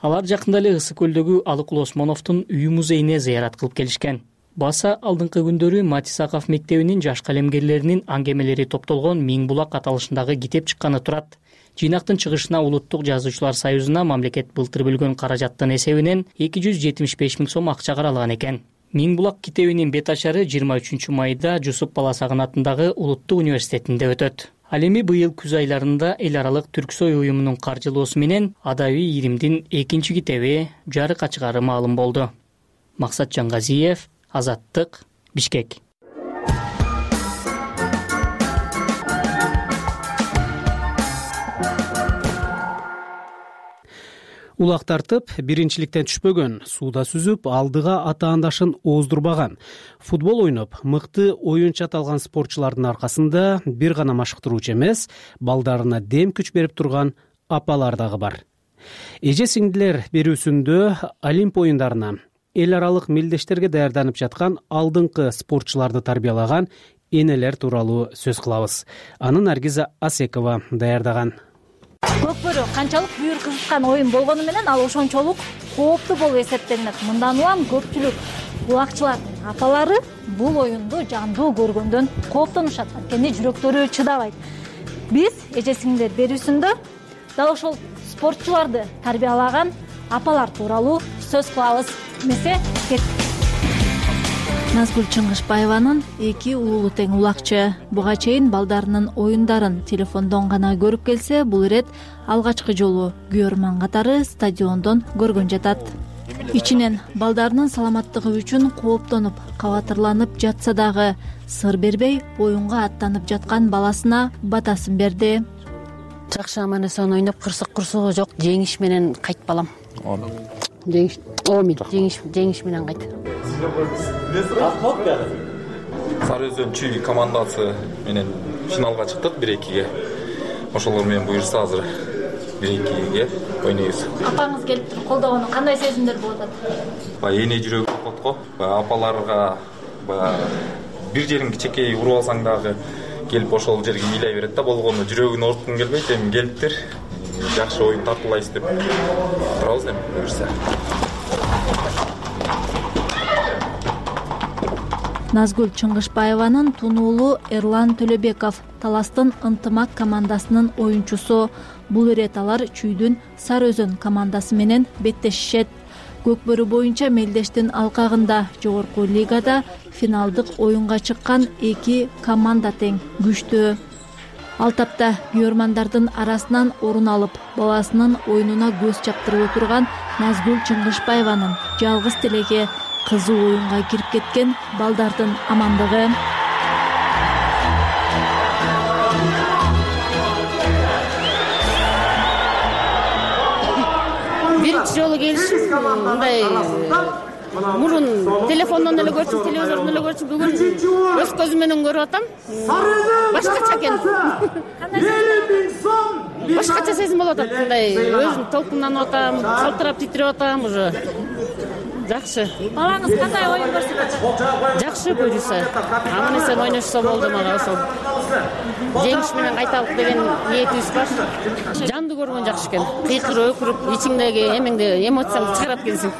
Алар жакында эле Ысык көлдөгү Алыкул Осмоновдун үй музейине зыярат кылып келишкен. Баса алдыңкы күндөрү Матисаков мектебинин жаш калемгерлеринин аңгемелери топтолгон Миң булак аталышындагы китеп чыкканы турат. Жыйнактын чыгышына Улуттук жазуучулар союзуна мамлекет былтыр бөлгөн каражаттын эсебинен эки жүз жетимиш беш миң сом акча каралган экен. Миң булак китебинин бет ачары жыйырма үчүнчү майда Жусуп Баласагын атындагы Улуттук университетинде өтөт. Ал эми быйыл күз айларында эл аралык Түрксой уюмунун каржылоосу менен адабий ийримдин экинчи китеби жарыкка чыгаары маалым болду. Максат Жангазиев, Азаттык, Бишкек. Улак тартып биринчиликтен түшпөгөн, сууда сүзүп, алдыга атаандашын ооздурбаган, футбол ойноп, мыкты оюнчу аталган спортчулардын аркасында бир гана машыктыруучу эмес, балдарына дем күч берип турган апалар дагы бар. Эже сиңдилер берүүсүндө Олимп оюндарына, эл аралык мелдештерге даярданып жаткан алдыңкы спортчуларды тарбиялаган энелер тууралуу сөз кылабыз. Аны Наргиза Асекова даярдаган. Көкбөрү канчалык бүйүр кызыткан оюн болгону менен ал ошончолук кооптуу болуп эсептелинет. Мындан улам көпчүлүк улакчылардын апалары бул оюнду жандуу көргөндөн кооптонушат, анткени жүрөктөрү чыдабайт. Биз эже сиңдилер берүүсүндө дал ошол спортчуларды тарбиялаган апалар тууралуу сөз кылабыз. Эмесе кет. Назгүл Чыңгышбаеванын эки уулу тең улакчы. Буга чейин балдарынын оюндарын телефондон гана көрүп келсе, бул ирет алгачкы жолу күйөрман катары стадиондон көргөн жатат. Ичинен балдарынын саламаттыгы үчүн кооптонуп, кабатырланып жатса дагы сыр бербей оюнга аттанып жаткан баласына батасын берди. Жакшы аман эсен ойноп, кырсык курсугу жок, жеңиш менен кайт балам. Жеңиш, омин, жеңиш, жеңиш менен кайт. Сары Өзөн чүй командасы менен финалга чыктык бир экиге. Ошолор менен буюрса азыр бир экиге ойнойбуз. Апаңыз келип туруп колдогону кандай сезимдер болуп атат? Баягы эне жүрөгү копот го. Баягы апаларга баягы бир жерин кичекей уруп алсаң дагы келип ошол жерге ыйлай берет да, болгону жүрөгүн ооруткун келбейт. Эми келиптир. Жакшы оюн тартуулайбыз деп турабыз эми буюрса. Назгүл Чыңгышбаеванын тунуулу Эрлан Төлөбеков Таластын ынтымак командасынын оюнчусу. Бул ирет алар чүйдүн Сары Өзөн командасы менен беттешишет. Көкбөрү боюнча мелдештин алкагында жогорку лигада финалдык оюнга чыккан эки команда тең күчтүү. Ал тапта күйөрмандардын арасынан орун алып, баласынын оюнуна көз чаптырып турган Назгүл Чыңгышбаеванын жалгыз тилеги кызуу оюнга кирип кеткен балдардын амандыгы. Биринчи жолу келишим мындай мурун телефондон эле көрчүм, телевизордон эле көрчүм, бүгүн өз көзүм менен көрүп атам. Башкача экен. Башкача сезим болуп атат. Мындай өзүм толкунданып атам, калтырап титирип атам уже. Жакшы. Балаңыз кандай оюн көрсөтүп атат? Жакшы буюрса. Аман эсен ойношсо болду мага ошол. Жеңиш менен кайталык деген ниетибиз бар. Жанды көргөн жакшы экен. Кыйкырып, өкүрүп, ичиңдеги эмеңди, эмоцияңды чыгарып келсең.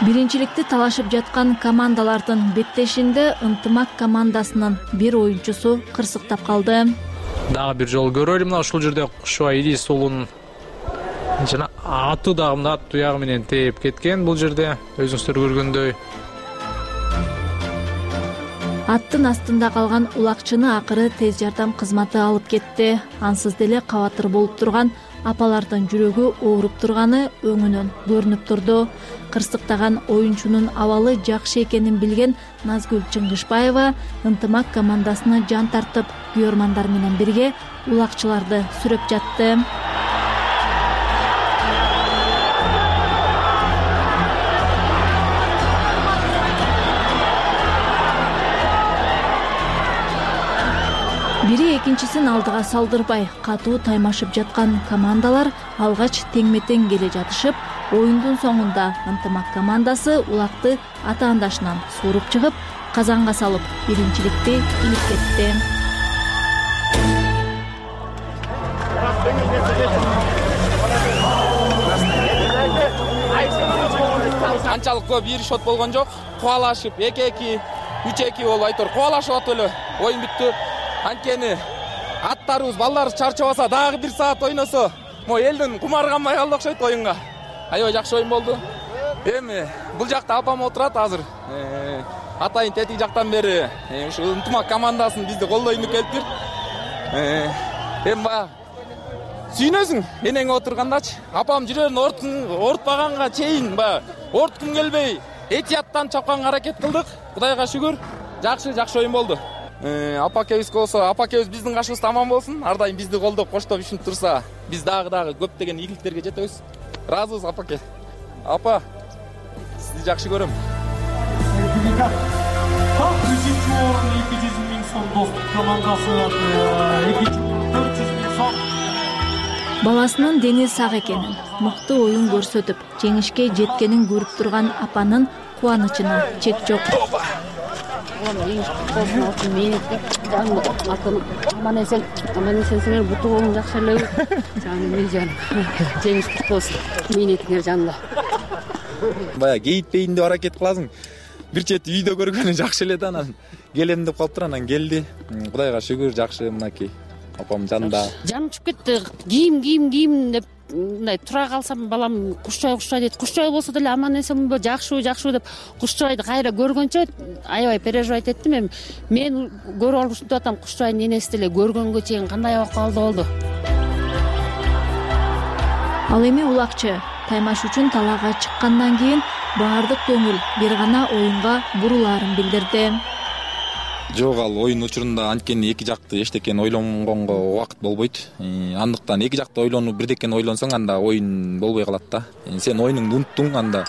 Биринчиликти талашып жаткан командалардын беттешинде ынтымак командасынын бир оюнчусу кырсыктап калды. Дагы бир жолу көрө элем, мына ушул жерде Кушубай Идисулунун жана аты дагы мына ат туягы менен тээп кеткен бул жерде, өзүңүздөр көргөндөй. Аттын астында калган улакчыны акыры тез жардам кызматы алып кетти. Ансыз деле кабатыр болуп турган апалардын жүрөгү ооруп турганы өңүнөн көрүнүп турду. Кырсыктаган оюнчунун абалы жакшы экенин билген Назгүл Чыңгышбаева ынтымак командасына жан тартып, күйөрмандар менен бирге улакчыларды сүрөп жатты. Бири экинчисин алдыга салдырбай, катуу таймашып жаткан командалар алгач теңме-тең келе жатышып, оюндун соңунда ынтымак командасы улакты атаандашынан сууруп чыгып, казанга салып, биринчиликти илип кетти. Анчалык көп бир шот болгон жок. Кубалашып эки-эки, үч-эки болуп айтор кубалашып атып эле оюн бүттү. Анткени аттарыбыз, балдарыбыз чарчабаса, дагы бир саат ойносо, мо элдин кумары канбай калды окшойт оюнга. Аябай жакшы оюн болду. Эми бул жакта апам отурат азыр. Атайын тетиги жактан бери ушу ынтымак командасын бизди колдойм деп келиптир. Эми баягы сүйнөсүң энең отургандачы. Апам жүрөгүн оорутпаганга чейин баягы оорткум келбей, этияттан чапканга аракет кылдык. Кудайга шүгүр, жакшы, жакшы оюн болду. Апакебиз болсо, апакебиз биздин кашыбызда аман болсун. Ар дайым бизди колдоп, коштоп ишинтип турса, биз дагы дагы көптөгөн ийгиликтерге жетебиз. ыраазыбыз апаке. Апа, сизди жакшы көрөм. Так үчүнчү орун эки жүз миң сом достук командасы, экинчи орун төрт жүз миң сом. Баласынын дени сак экенин, мыкты оюн көрсөтүп, жеңишке жеткенин көрүп турган апанын кубанычына чек жок. Аман эсен, аман эсенсиңер, буту болуң жакшы эле. Жаным, мен жаным. Жеңиш куту болсун. Мээнетиңер жанында. Бая кейитпейин деп аракет кыласың. Бир чети үйдө көргөнү жакшы эле да, анан келем деп калыптыр, анан келди. Кудайга шүгүр, жакшы мынакей. Апам жанында. Жаным чыгып кетти. Кийим, кийим, кийим деп мындай тура калсам, балам кушчай, кушчай дейт. Кушчай болсо деле аман эсенби, жакшыбы, жакшыбы деп кушчайды кайра көргөнчө аябай переживать эттим. Эми мен көрүп алып атам, кушчайдын энеси деле көргөнгө чейин кандай абакалда болду. Ал эми улакчы таймаш үчүн талаага чыккандан кийин баардык көңүл бир гана оюнга бурулаарын билдирди. Жок, ал оюн учурунда анткени эки жакты эчтекени ойлонгонго убакыт болбойт. Андыктан эки жакты ойлонуп бирдекени ойлонсоң, анда оюн болбой калат да. Сен оюнуңду унуттуң, анда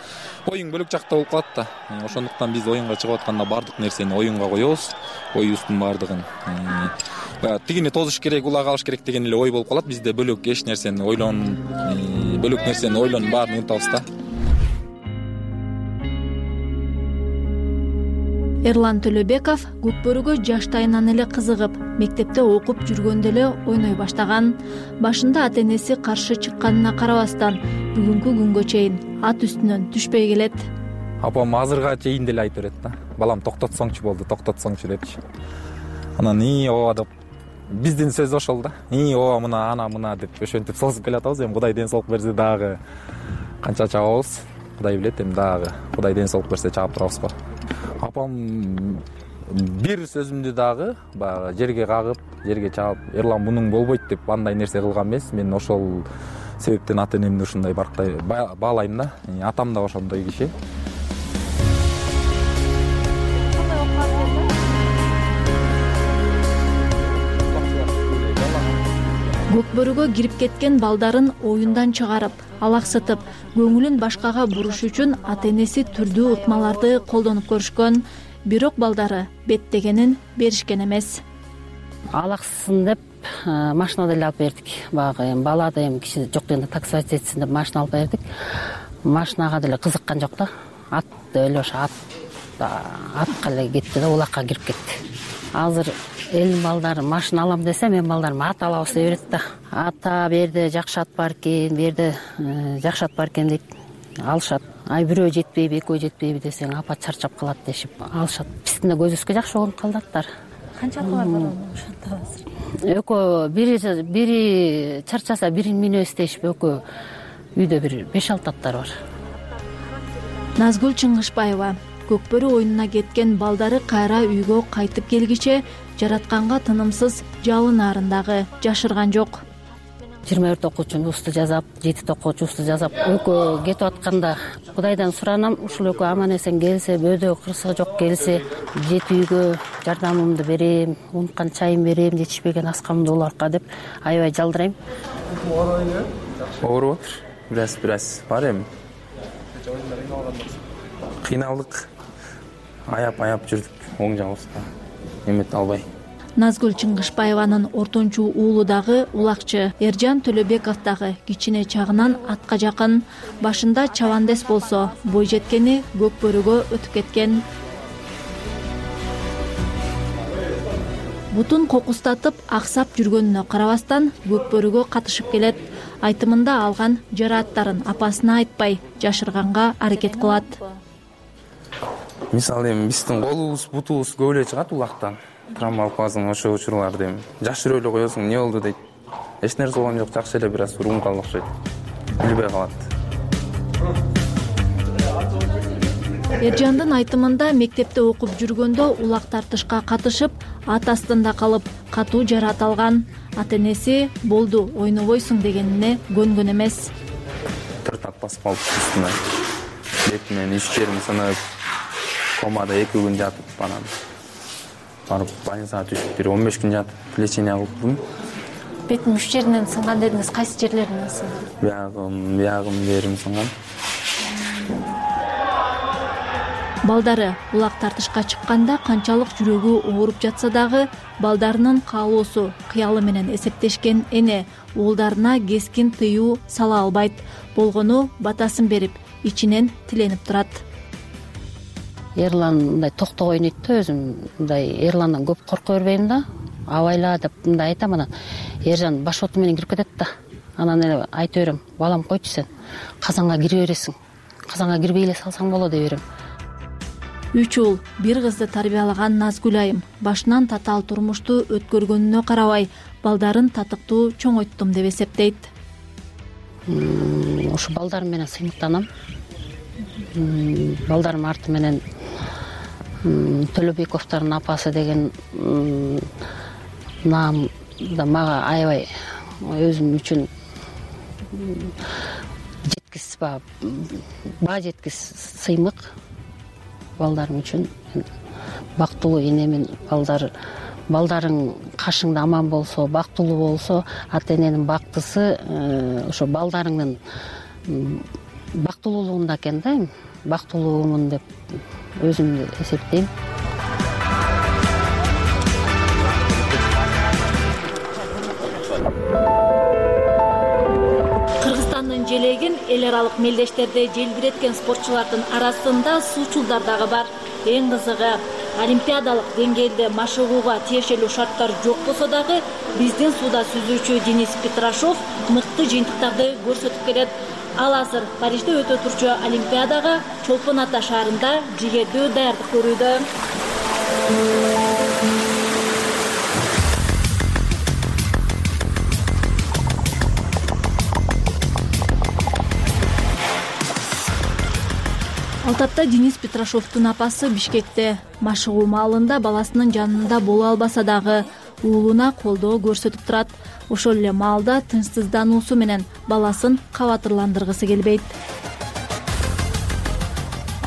оюң бөлөк жакта болуп калат да. Ошондуктан биз оюнга чыгып атканда баардык нерсени оюнга коебуз, оюбуздун баардыгын. Тигини тозуш керек, улак алыш керек деген эле ой болуп калат. Бизде бөлөк эч нерсени ойлон, бөлөк нерсени ойлонуп баарын унутабыз да. Эрлан Төлөбеков Көкбөрүгө жаштайынан эле кызыгып, мектепте окуп жүргөндө эле ойной баштаган. Башында ата-энеси каршы чыкканына карабастан, бүгүнкү күнгө чейин ат үстүнөн түшпөй келет. Апам азырга чейин деле айтып берет да. Балам токтотсоңчу болду, токтотсоңчу депчи. Анан и ооба деп биздин сөз ошол да. И ооба мына ана мына деп ошентип созуп келатабыз. Эми Кудай ден соолук берсе дагы канча чабабыз, Кудай билет, эми дагы Кудай ден соолук берсе чаап турабыз го. Апам бир сөзүмдү дагы баягы жерге кагып, жерге чаап, Эрлан мунуң болбойт деп андай нерсе кылган эмес. Мен ошол себептен ата-энемди ушундай барктай баалайм да. Атам да ошондой киши. Көкбөрүгө кирип кеткен балдарын оюндан чыгарып, алаксытып, көңүлүн башкага буруш үчүн ата-энеси түрдүү ыкмаларды колдонуп көрүшкөн. Бирок балдары беттегенин беришкен эмес. Алаксын деп машина деле алып бердик. Баягы эми бала да эми киши жок дегенде такси жетсин деп машина алып бердик. Машинага деле кызыккан жок да. Ат эле ошо ат атка эле кетти да, улакка кирип кетти. Азыр элдин балдары машина алам десе, мен балдарым ат алабыз деп берет да. Ата берде жакшы ат бар экен, берде жакшы ат бар экен дейт. Алышат. Ай бирөө жетпейби, экөө жетпейби десең, апа чарчап калат дешип алышат. Биздин көзүбүзгө жакшы болуп калды аттар. Канча аты бар ошонто азыр? Экөө бири бири чарчаса бирин минөбүз дешип, экөө үйдө бир беш алты аттар бар. Назгүл Чыңгышбаева Көкбөрү оюнуна кеткен балдары кайра үйгө кайтып келгиче жаратканга тынымсыз жалынарын дагы жашырган жок. жыйырма төрт окуучунун усту жазап, жети окуучу усту жазап, экөө кетип атканда Кудайдан суранам, ушул экөө аман эсен келсе, бөөдө кырсыгы жок келсе, жети үйгө жардамымды берем, унуткан чайын берем, жетишпеген аскамды уларга деп аябай жалдырайм. Ооруп атыр. Бираз бираз бар эми. Кыйналдык. Аяп-аяп жүрдүк, оң жагыбызга эмет албай. Назгүл Чыңгышбаеванын ортончу уулу дагы улакчы, Эржан Төлөбеков дагы кичине чагынан атка жакын. Башында чабандес болсо, бой жеткени Көкбөрүгө өтүп кеткен. Бутун кокустатып, аксап жүргөнүнө карабастан Көкбөрүгө катышып келет. Айтымында алган жарааттарын апасына айтпай, жашырганга аракет кылат. Мисалы эми биздин колубуз, бутубуз көп эле чыгат улактан. Травма алып калсаң ошо учурларда эми жашырып эле коесуң, эмне болду дейт. Эч нерсе болгон жок, жакшы эле бир аз урун калды окшойт. Билбей калат. Эржандын айтымында мектепте окуп жүргөндө улак тартышка катышып, ат астында калып, катуу жараат алган. Ата-энеси болду, ойнобойсуң дегенине көнгөн эмес. Төрт ат басып калып үстүнө. Бетимен үч жерим сынып, комада эки күн жатып, анан барып больницага түшүп, бир он беш күн жатып, лечение кылдым. бетиmin үч жеринен сынган дедиңиз, кайсы жерлеринен сынды? Биягым, биягым жерим сынган. Балдары улак тартышка чыкканда канчалык жүрөгү ооруп жатса дагы балдарынын каалоосу, кыялы менен эсептешкен эне уулдарына кескин тыюу сала албайт. Болгону батасын берип, ичинен тиленип турат. Эрлан мындай токто ойнойт да, өзүм мындай Эрландан көп корко бербейм да. Абайла деп мындай айтам, анан Ержан баш оту менен кирип кетет да. Анан эле айтып берем, балам койчу сен, казанга кире бересиң. Казанга кирбей эле салсаң болот деп берем. Үч уул, бир кызды тарбиялаган Назгүл айым башынан татаал турмушту өткөргөнүнө карабай, балдарын татыктуу чоңойттум деп эсептейт. Ошо балдарым менен сыймыктанам. Балдарым арты менен Төлөбековдордун апасы деген наам да мага аябай өзүм үчүн жеткис ба баа жеткис сыймык. Балдарым үчүн бактылуу энемин. Балдар балдарың кашыңда аман болсо, бактылуу болсо, ата эненин бактысы ошо балдарыңдын бактылуулугунда экен да. Бактылуумун деп өзүмдү эсептейм. Кыргызстандын желегин эл аралык мелдештерде желбиреткен спортчулардын арасында суучулдар дагы бар. Эң кызыгы, олимпиадалык деңгээлде машыгууга тиешелүү шарттар жок болсо дагы биздин сууда сүзүүчү Денис Петрашов мыкты жыйынтыктарды көрсөтүп келет. Ал азыр Парижде өтө турчу олимпиадага Чолпон Ата шаарында жигердүү даярдык көрүүдө. Алтапта Денис Петрашовдун апасы Бишкекте машыгуу маалында баласынын жанында боло албаса дагы уулуна колдоо көрсөтүп турат. Ошол эле маалда тынчсыздануусу менен баласын кабатырландыргысы келбейт.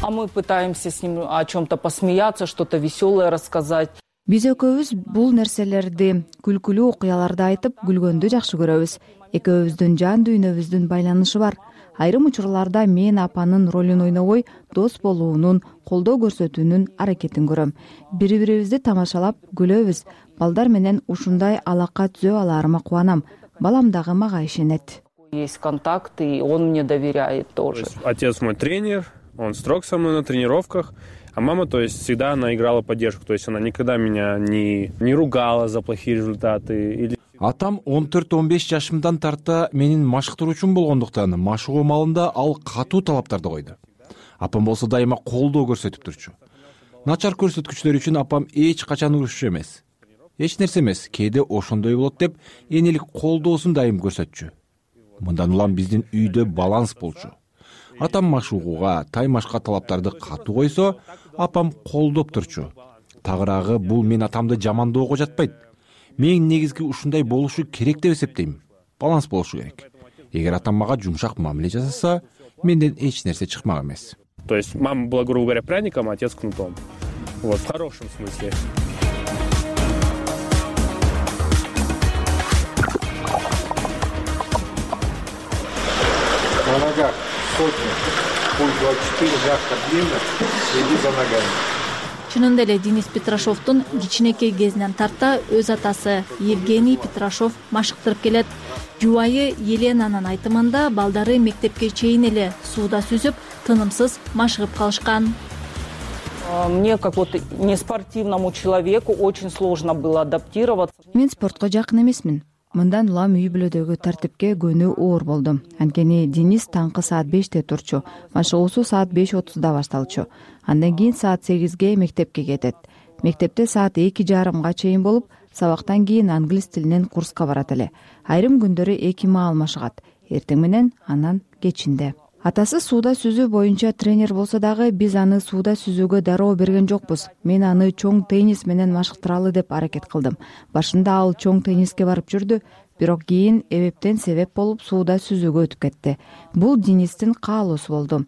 А мы пытаемся с ним о чем-то посмеяться, что-то веселое рассказать. Биз экөөбүз бул нерселерди, күлкүлүү окуяларды айтып, күлгөндү жакшы көрөбүз. Экөөбүздүн жан дүйнөбүздүн байланышы бар. Айрым учурларда мен апанын ролун ойнобой, дос болуунун, колдоо көрсөтүүнүн аракетин көрөм. Бири-бирибизди тамашалап күлөбүз. Балдар менен ушундай алака түзө аларыма кубанам. Балам дагы мага ишенет. Есть контакт, и он мне доверяет тоже. Отец мой тренер, он строг со мной на тренировках, а мама, то есть, всегда она играла поддержку. То есть она никогда меня не, не ругала за плохие результаты или... Атам он төрт он беш жашымдан тарта менин машыктыруучум болгондуктан машыгуу маалында ал катуу талаптарды койду. Апам болсо дайыма колдоо көрсөтүп турчу. Начар көрсөткүчтөр үчүн апам эч качан урушчу эмес. Эч нерсе эмес, кээде ошондой болот деп энелик колдоосун дайым көрсөтчү. Мындан улам биздин үйдө баланс болчу. Атам машыгууга, таймашка талаптарды катуу койсо, апам колдоп турчу. Тагыраагы бул мен атамды жамандоого жатпайт. Мен негизги ушундай болушу керек деп эсептейм. Баланс болушу керек. Эгер атам мага жумшак мамиле жасаса, менден эч нерсе чыкмак эмес. То есть мама была, грубо говоря, пряником, а отец кнутом. Вот, в хорошем смысле. На ногах сотня, пульс двадцать четыре, мягко, длинно, следи за ногами. Чынында эле Денис Петрашовдун кичинекей кезинен тарта өз атасы Евгений Петрашов машыктырып келет. Жубайы Еленанын айтымында балдары мектепке чейин эле сууда сүзүп, тынымсыз машыгып калышкан. Мне, как вот неспортивному человеку, очень сложно было адаптироваться. Мен спортко жакын эмесмин. Мындан улам үй бүлөдөгү тартипке көнүү оор болду. Анткени Денис таңкы саат беште турчу, машыгуусу саат беш отузда башталчу. Андан кийин саат сегизге мектепке кетет. Мектепте саат эки жарымга чейин болуп, сабактан кийин англис тилинен курска барат эле. Айрым күндөрү эки маал машыгат. Эртең менен, анан кечинде. Атасы сууда сүзүү боюнча тренер болсо дагы биз аны сууда сүзүүгө дароо берген жокпуз. Мен аны чоң теннис менен машыктыралы деп аракет кылдым. Башында ал чоң тенниске барып жүрдү, бирок кийин эбептен себеп болуп сууда сүзүүгө өтүп кетти. Бул Денистин каалоосу болду.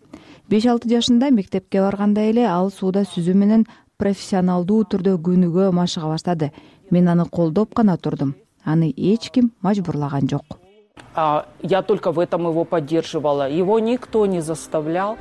беш алты жашында мектепке барганда эле ал сууда сүзүү менен профессионалдуу түрдө күнүгө машыга баштады. Мен аны колдоп гана турдум. аны эч ким мажбурлаган жок. Я только в этом его поддерживала. Его никто не заставлял.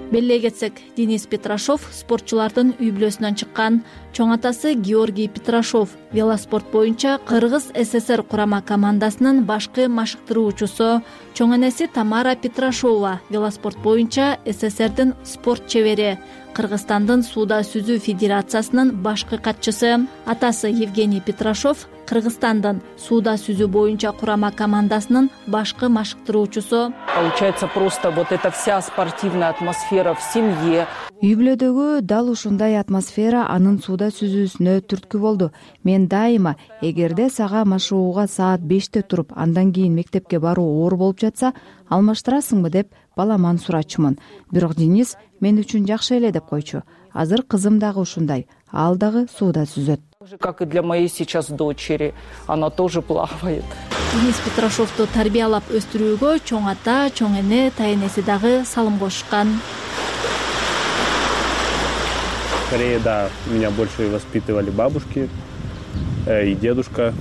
Беле кетсек, Денис Петрашов спортчулардын үй бүлөсүнөн чыккан. Чоң атасы Георгий Петрашов велоспорт боюнча Кыргыз СССР курама командасынын башкы машыктыруучусу. Чоң энеси Тамара Петрашова велоспорт боюнча СССРдин спорт чебери, Кыргызстандын сууда сүзүү федерациясынын башкы катчысы. Атасы Евгений Петрашов Кыргызстандын сууда сүзүү боюнча курама командасынын башкы машыктыруучусу. Получается, просто вот эта вся спортивная атмосфера в семье. Үй бүлөдөгү дал ушундай атмосфера анын сууда сүзүүсүнө түрткү болду. Мен дайыма эгерде сага машыгууга саат беште туруп, андан кийин мектепке баруу оор болуп жатса, алмаштырасыңбы деп баламан сурачумун. Бирок Денис мен үчүн жакшы эле деп койчу. Азыр кызым дагы ушундай, ал дагы сууда сүзөт. Как и для моей сейчас дочери, она тоже плавает. Денис Петрашовду тарбиялап өстүрүүгө чоң ата, чоң эне, тайнеси дагы салым кошушкан. Скорее, да, меня больше воспитывали бабушки и дедушка.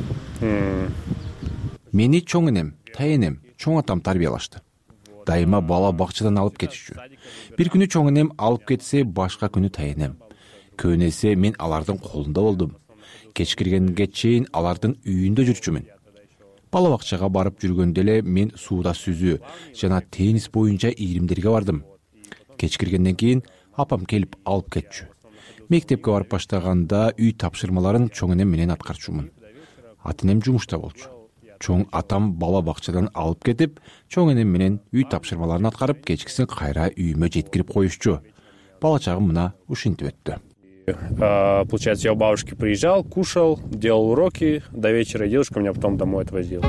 Мени чоң энем, тайенем, чоң атам тарбиялашты. Дайыма бала бакчадан алып кетишчү. Бир күнү чоң энем алып кетсе, башка күнү тайенем. Көбүн эсе мен алардын колунда болдум. Кеч киргенге чейин алардын үйүндө жүрчүмүн. Бала бакчага барып жүргөндө эле мен сууда сүзүү жана теннис боюнча ийримдерге бардым. Кеч киргенден кийин апам келип алып кетчү. Мектепке барып баштаганда үй тапшырмаларын чоң энем менен аткарчумун. Ата энем жумушта болчу. Чоң атам бала бакчадан алып кетип, чоң энем менен үй тапшырмаларын аткарып, кечкисин кайра үйүмө жеткирип коюшчу. Бала чагым мына ушинтип өттү. Получается, я у бабушки приезжал, кушал, делал уроки до вечера, и дедушка меня потом домой отвозил.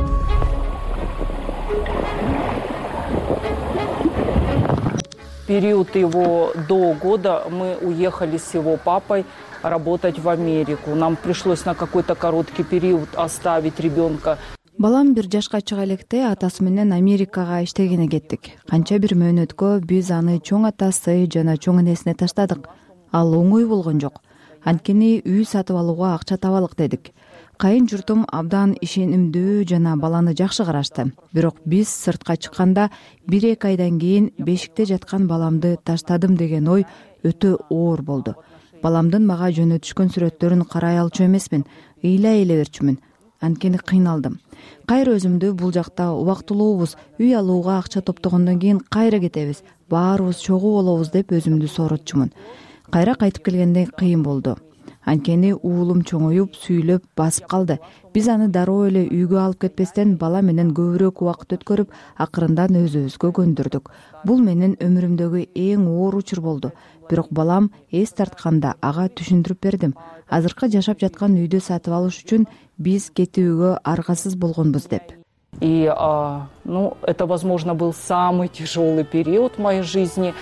Период его до года мы уехали с его папой работать в Америку. Нам пришлось на какой-то короткий период оставить ребенка. Балам бир жашка чыга электе атасы менен Америкага иштегене кеттик. Канча бир мөөнөткө биз аны чоң атасы жана чоң энесине таштадык. Ал оңой болгон жок. Анткени үй сатып алууга акча табалык дедик. Кайын журтум абдан ишенимдүү жана баланы жакшы карашты. Бирок биз сыртка чыкканда бир эки айдан кийин бешикте жаткан баламды таштадым деген ой өтө оор болду. Баламдын мага жөнөтүшкөн сүрөттөрүн карай алчу эмесмин, ыйлай эле берчүмүн. Анткени кыйналдым. Кайра өзүмдү бул жакта убактылуубуз, үй алууга акча топтогондон кийин кайра кетебиз, баарыбыз чогуу болобуз деп өзүмдү сооротчумун. Кайра кайтып келгенде кыйын болду. Анткени уулум чоңоюп, сүйлөп, басып калды. Биз аны дароо эле үйгө алып кетпестен бала менен көбүрөөк убакыт өткөрүп, акырындан өзүбүзгө көндүрдүк. Бул менин өмүрүмдөгү эң оор учур болду. Бирок балам эс тартканда ага түшүндүрүп бердим. Азыркы жашап жаткан үйдү сатып алыш үчүн биз кетүүгө аргасыз болгонбуз деп. И, а, ну, это, возможно, был самый тяжелый период в моей жизни.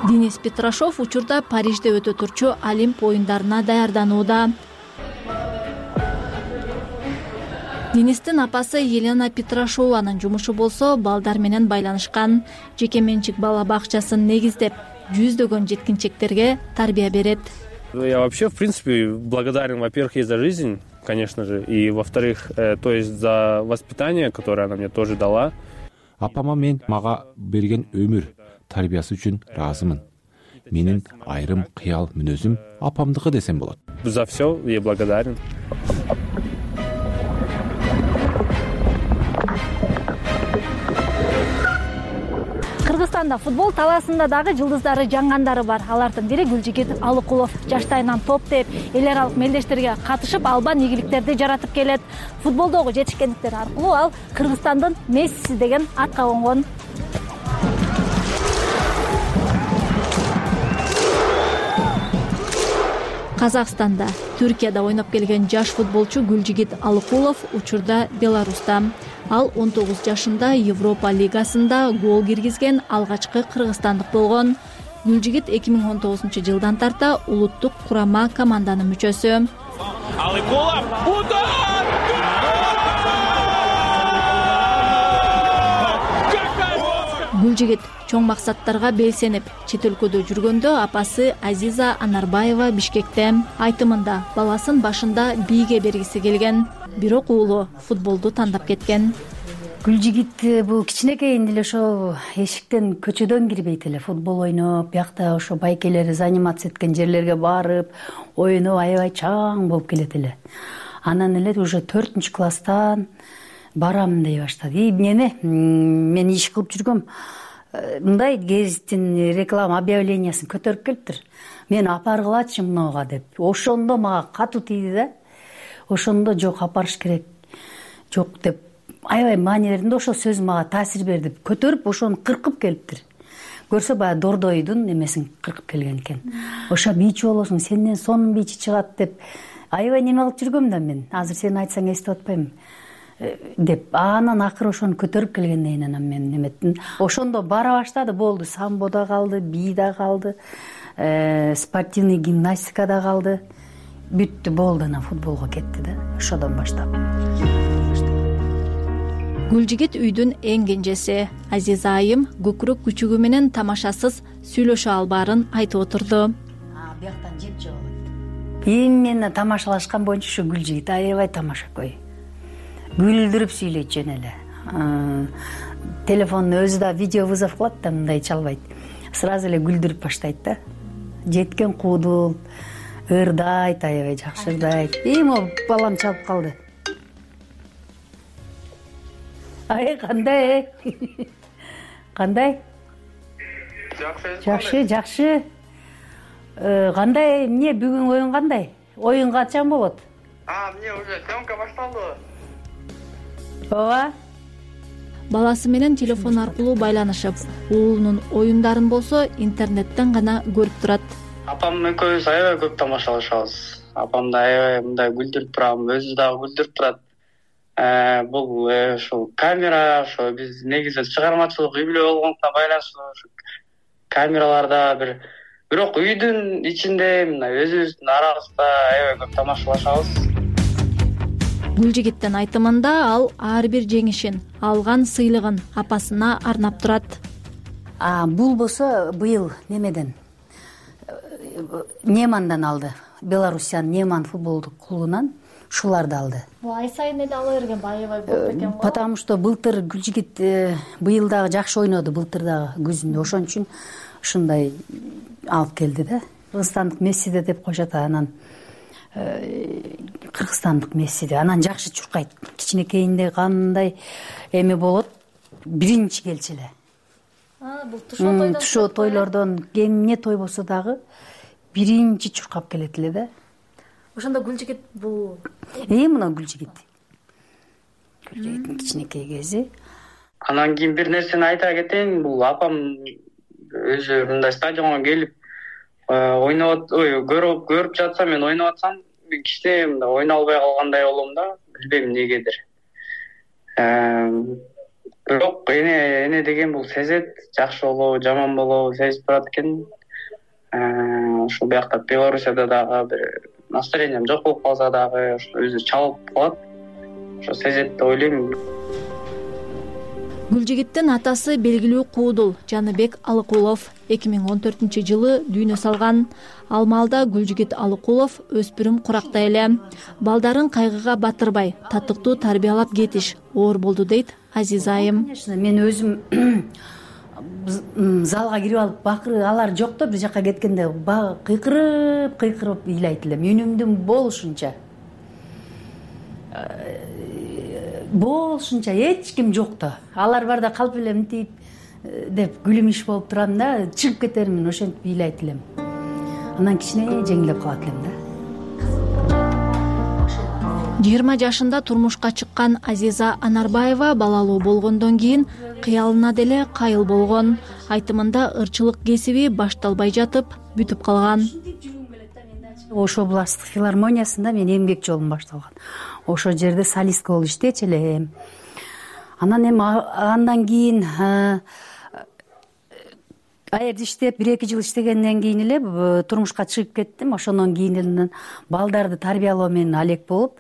Денис Петрашов учурда Парижде өтө турчу Олимп оюндарына даярданууда. Денистин апасы Елена Петрашованын жумушу болсо балдар менен байланышкан. Жеке менчик бала бакчасын негиздеп, жүздөгөн жеткинчектерге тарбия берет. Я вообще, в принципе, благодарен, во-первых, ей за жизнь, конечно же, и, во-вторых, э, то есть за воспитание, которое она мне тоже дала. Апама мен мага берген өмүр тарбиясы үчүн ыраазымын. Менин айрым кыял мүнөзүм апамдыкы десем болот. За все ей благодарен. Кыргызстанда футбол талаасында дагы жылдыздары жаңгандары бар. Алардын бири Гүлжигит Алыкулов. Жаштайынан топ теп, эл аралык мелдештерге катышып, албан ийгиликтерди жаратып келет. Футболдогу жетишкендиктери аркылуу ал Кыргызстандын Мессиси деген атка конгон. Казакстанда, Түркияда ойноп келген жаш футболчу Гүлжигит Алыкулов учурда Беларуста. Ал он тогуз жашында Европа лигасында гол киргизген алгачкы кыргызстандык болгон. Гүлжигит эки миң он тогузунчу жылдан тарта улуттук курама команданын мүчөсү. Алыкулов удар! Гүлжигит чоң максаттарга белсенип чет өлкөдө жүргөндө апасы Азиза Анарбаева Бишкекте. Айтымында баласын башында бийге бергиси келген, бирок уулу футболду тандап кеткен. Гүлжигит бул кичинекейин эле ошо эшиктен көчөдөн кирбейт эле, футбол ойноп, биякта ошо байкелер заниматься эткен жерлерге барып, ойноп аябай чаң болуп келет эле. Анан эле уже төртүнчү класстан барам дей баштады. И неме мен иш кылып жүргөм, мындай гезиттин реклама объявлениясын көтөрүп келиптир. Мен апаргылачы мынага деп. Ошондо мага катуу тийди да. Ошондо жок, апарыш керек. Жок деп аябай маани бердим да, ошол сөз мага таасир берди. Көтөрүп ошону кыркып келиптир. Көрсө баягы Дордойдун немесин кыркып келген экен. Ошо бийчи болосуң, сенден сонун бийчи чыгат деп аябай неме кылып жүргөм да мен. Азыр сен айтсаң эстеп атпайм деп. Анан акыры ошону көтөрүп келгенден кийин анан мен неметтим. Ошондо бара баштады, болду. Самбо да калды, бий да калды, спортивный гимнастика да калды. Бүттү, болду, анан футболго кетти да. Ошодон баштап. Гүлжигит үйдүн эң кенжеси. Азиза айым көкүрөк күчүгү менен тамашасыз сүйлөшө албаарын айтып отурду. Бияктан жеп жеп алат. Именно тамашалашкан боюнча ушу Гүлжигит аябай тамашакөй. Күлдүрүп сүйлөйт жөн эле. Телефондун өзү да видео вызов кылат да, мындай чалбайт. Сразу эле күлдүрүп баштайт да. Жеткен куудул, ырдайт, аябай жакшы ырдайт. И могу балам чалып калды. Ай, кандай? Кандай? Жакшы. Жакшы, жакшы. Кандай, эмне бүгүн оюн кандай? Оюн качан болот? А, эмне уже съемка башталды. Ооба. Баласы менен телефон аркылуу байланышып, уулунун оюндарын болсо интернеттен гана көрүп турат. Апам экөөбүз аябай көп тамашалашабыз. Апамды аябай мындай күлдүрүп турам, өзү дагы күлдүрүп турат. Бул ошол камера, ошо биз негизи чыгармачылык үй бүлө болгондуктан байланыштуу камераларда бир бирок үйдүн ичинде мындай өзүбүздүн арабызда аябай көп тамашалашабыз. Гүлжигиттин айтымында ал ар бир жеңишин, алган сыйлыгын апасына арнап турат. А бул болсо быйыл немеден Немандан алды. Белоруссиянын Неман футболдук клубунан ушуларды алды. Бул ай сайын эле ала берген, аябай болот экен го. Потому что былтыр Гүлжигит быйыл дагы жакшы ойноду, былтыр дагы күзүндө. Ошон үчүн ушундай алып келди да. Кыргызстандык Мессиде деп коюшат, анан кыргызстандык Мессиде. Анан жакшы чуркайт. Кичинекейинде кандай эме болот, биринчи келчү эле. А, бул тушоо тойдон. Тушоо тойлордон эмне той болсо дагы биринчи чуркап келет эле да. Ошондо Гүлжигит бул Э, мына Гүлжигит. Гүлжигиттин кичинекей кези. Анан кийин бир нерсени айта кетейин, бул апам өзү мындай стадионго келип ойноп, ой, көрүп көрүп жатса, мен ойноп атсам, кичине мындай ойной албай калгандай болом да, билбейм эмнегедир. Бирок эне эне деген бул сезет, жакшы болобу, жаман болобу сезип турат экен. Ошо биякта Белоруссияда дагы бир настроением жок болуп калса дагы өзү чалып калат. Ошо сезет деп ойлойм. Гүлжигиттин атасы белгилүү куудул Жаныбек Алыкулов эки миң он төртүнчү жылы дүйнө салган. Ал маалда Гүлжигит Алыкулов өспүрүм куракта эле. Балдарын кайгыга батырбай, татыктуу тарбиялап кетиш оор болду дейт Азиза айым. Мен өзүм залга кирип алып бакыр алар жок да, бир жака кеткенде кыйкырып кыйкырып ыйлайт элем, үнүмдүн болушунча. Болушунча эч ким жок да. Алар барда калп эле мынтип деп күлүмүш болуп турам да, чыгып кетермин, ошентип ыйлайт элем. Анан кичине жеңилдеп калат элем да. жыйырма жашында турмушка чыккан Азиза Анарбаева балалуу болгондон кийин кыялына деле кайыл болгон. Айтымында ырчылык кесиби башталбай жатып бүтүп калган. Ош областтык филармониясында мен эмгек жолум башталган. Ошол жерде солистка болуп иштечү элем. Анан эми андан кийин аерде иштеп бир эки жыл иштегенден кийин эле турмушка чыгып кеттим. Ошондон кийин балдарды тарбиялоо менен алек болуп,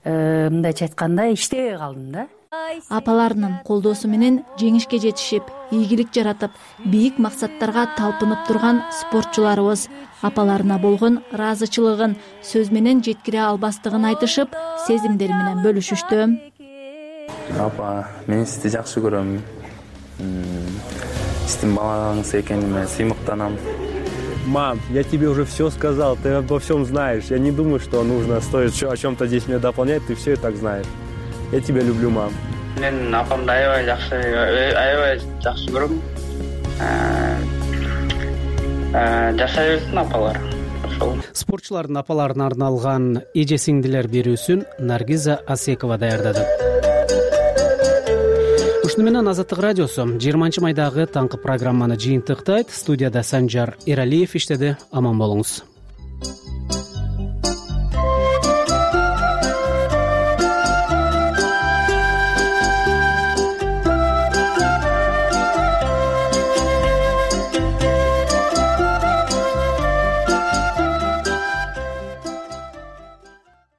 мындайча айтканда иштебей калдым да. апаларынын колдоосу менен жеңишке жетишип, ийгилик жаратып, бийик максаттарга талпынып турган спортчуларыбыз апаларына болгон ыраазычылыгын сөз менен жеткире албастыгын айтышып, сезимдери менен бөлүшүштү. Апа, мен сизди жакшы көрөм. Сиздин балаңыз экениме сыймыктанам. Мам, я тебе уже все сказал, ты обо всем знаешь. Я не думаю, что нужно стоит о чем-то здесь мне дополнять, ты все и так знаешь. Я тебя люблю, мам. Мен апамды аябай жакшы, аябай жакшы көрөм. Жашай берсин апалар. Ошол. Спортчулардын апаларына арналган эже сиңдилер берүүсүн Наргиза Асекова даярдады. Ушуну менен Азаттык радиосу жыйырманчы майдагы таңкы программаны жыйынтыктайт. Студияда Санжар Эралиев иштеди. Аман болуңуз.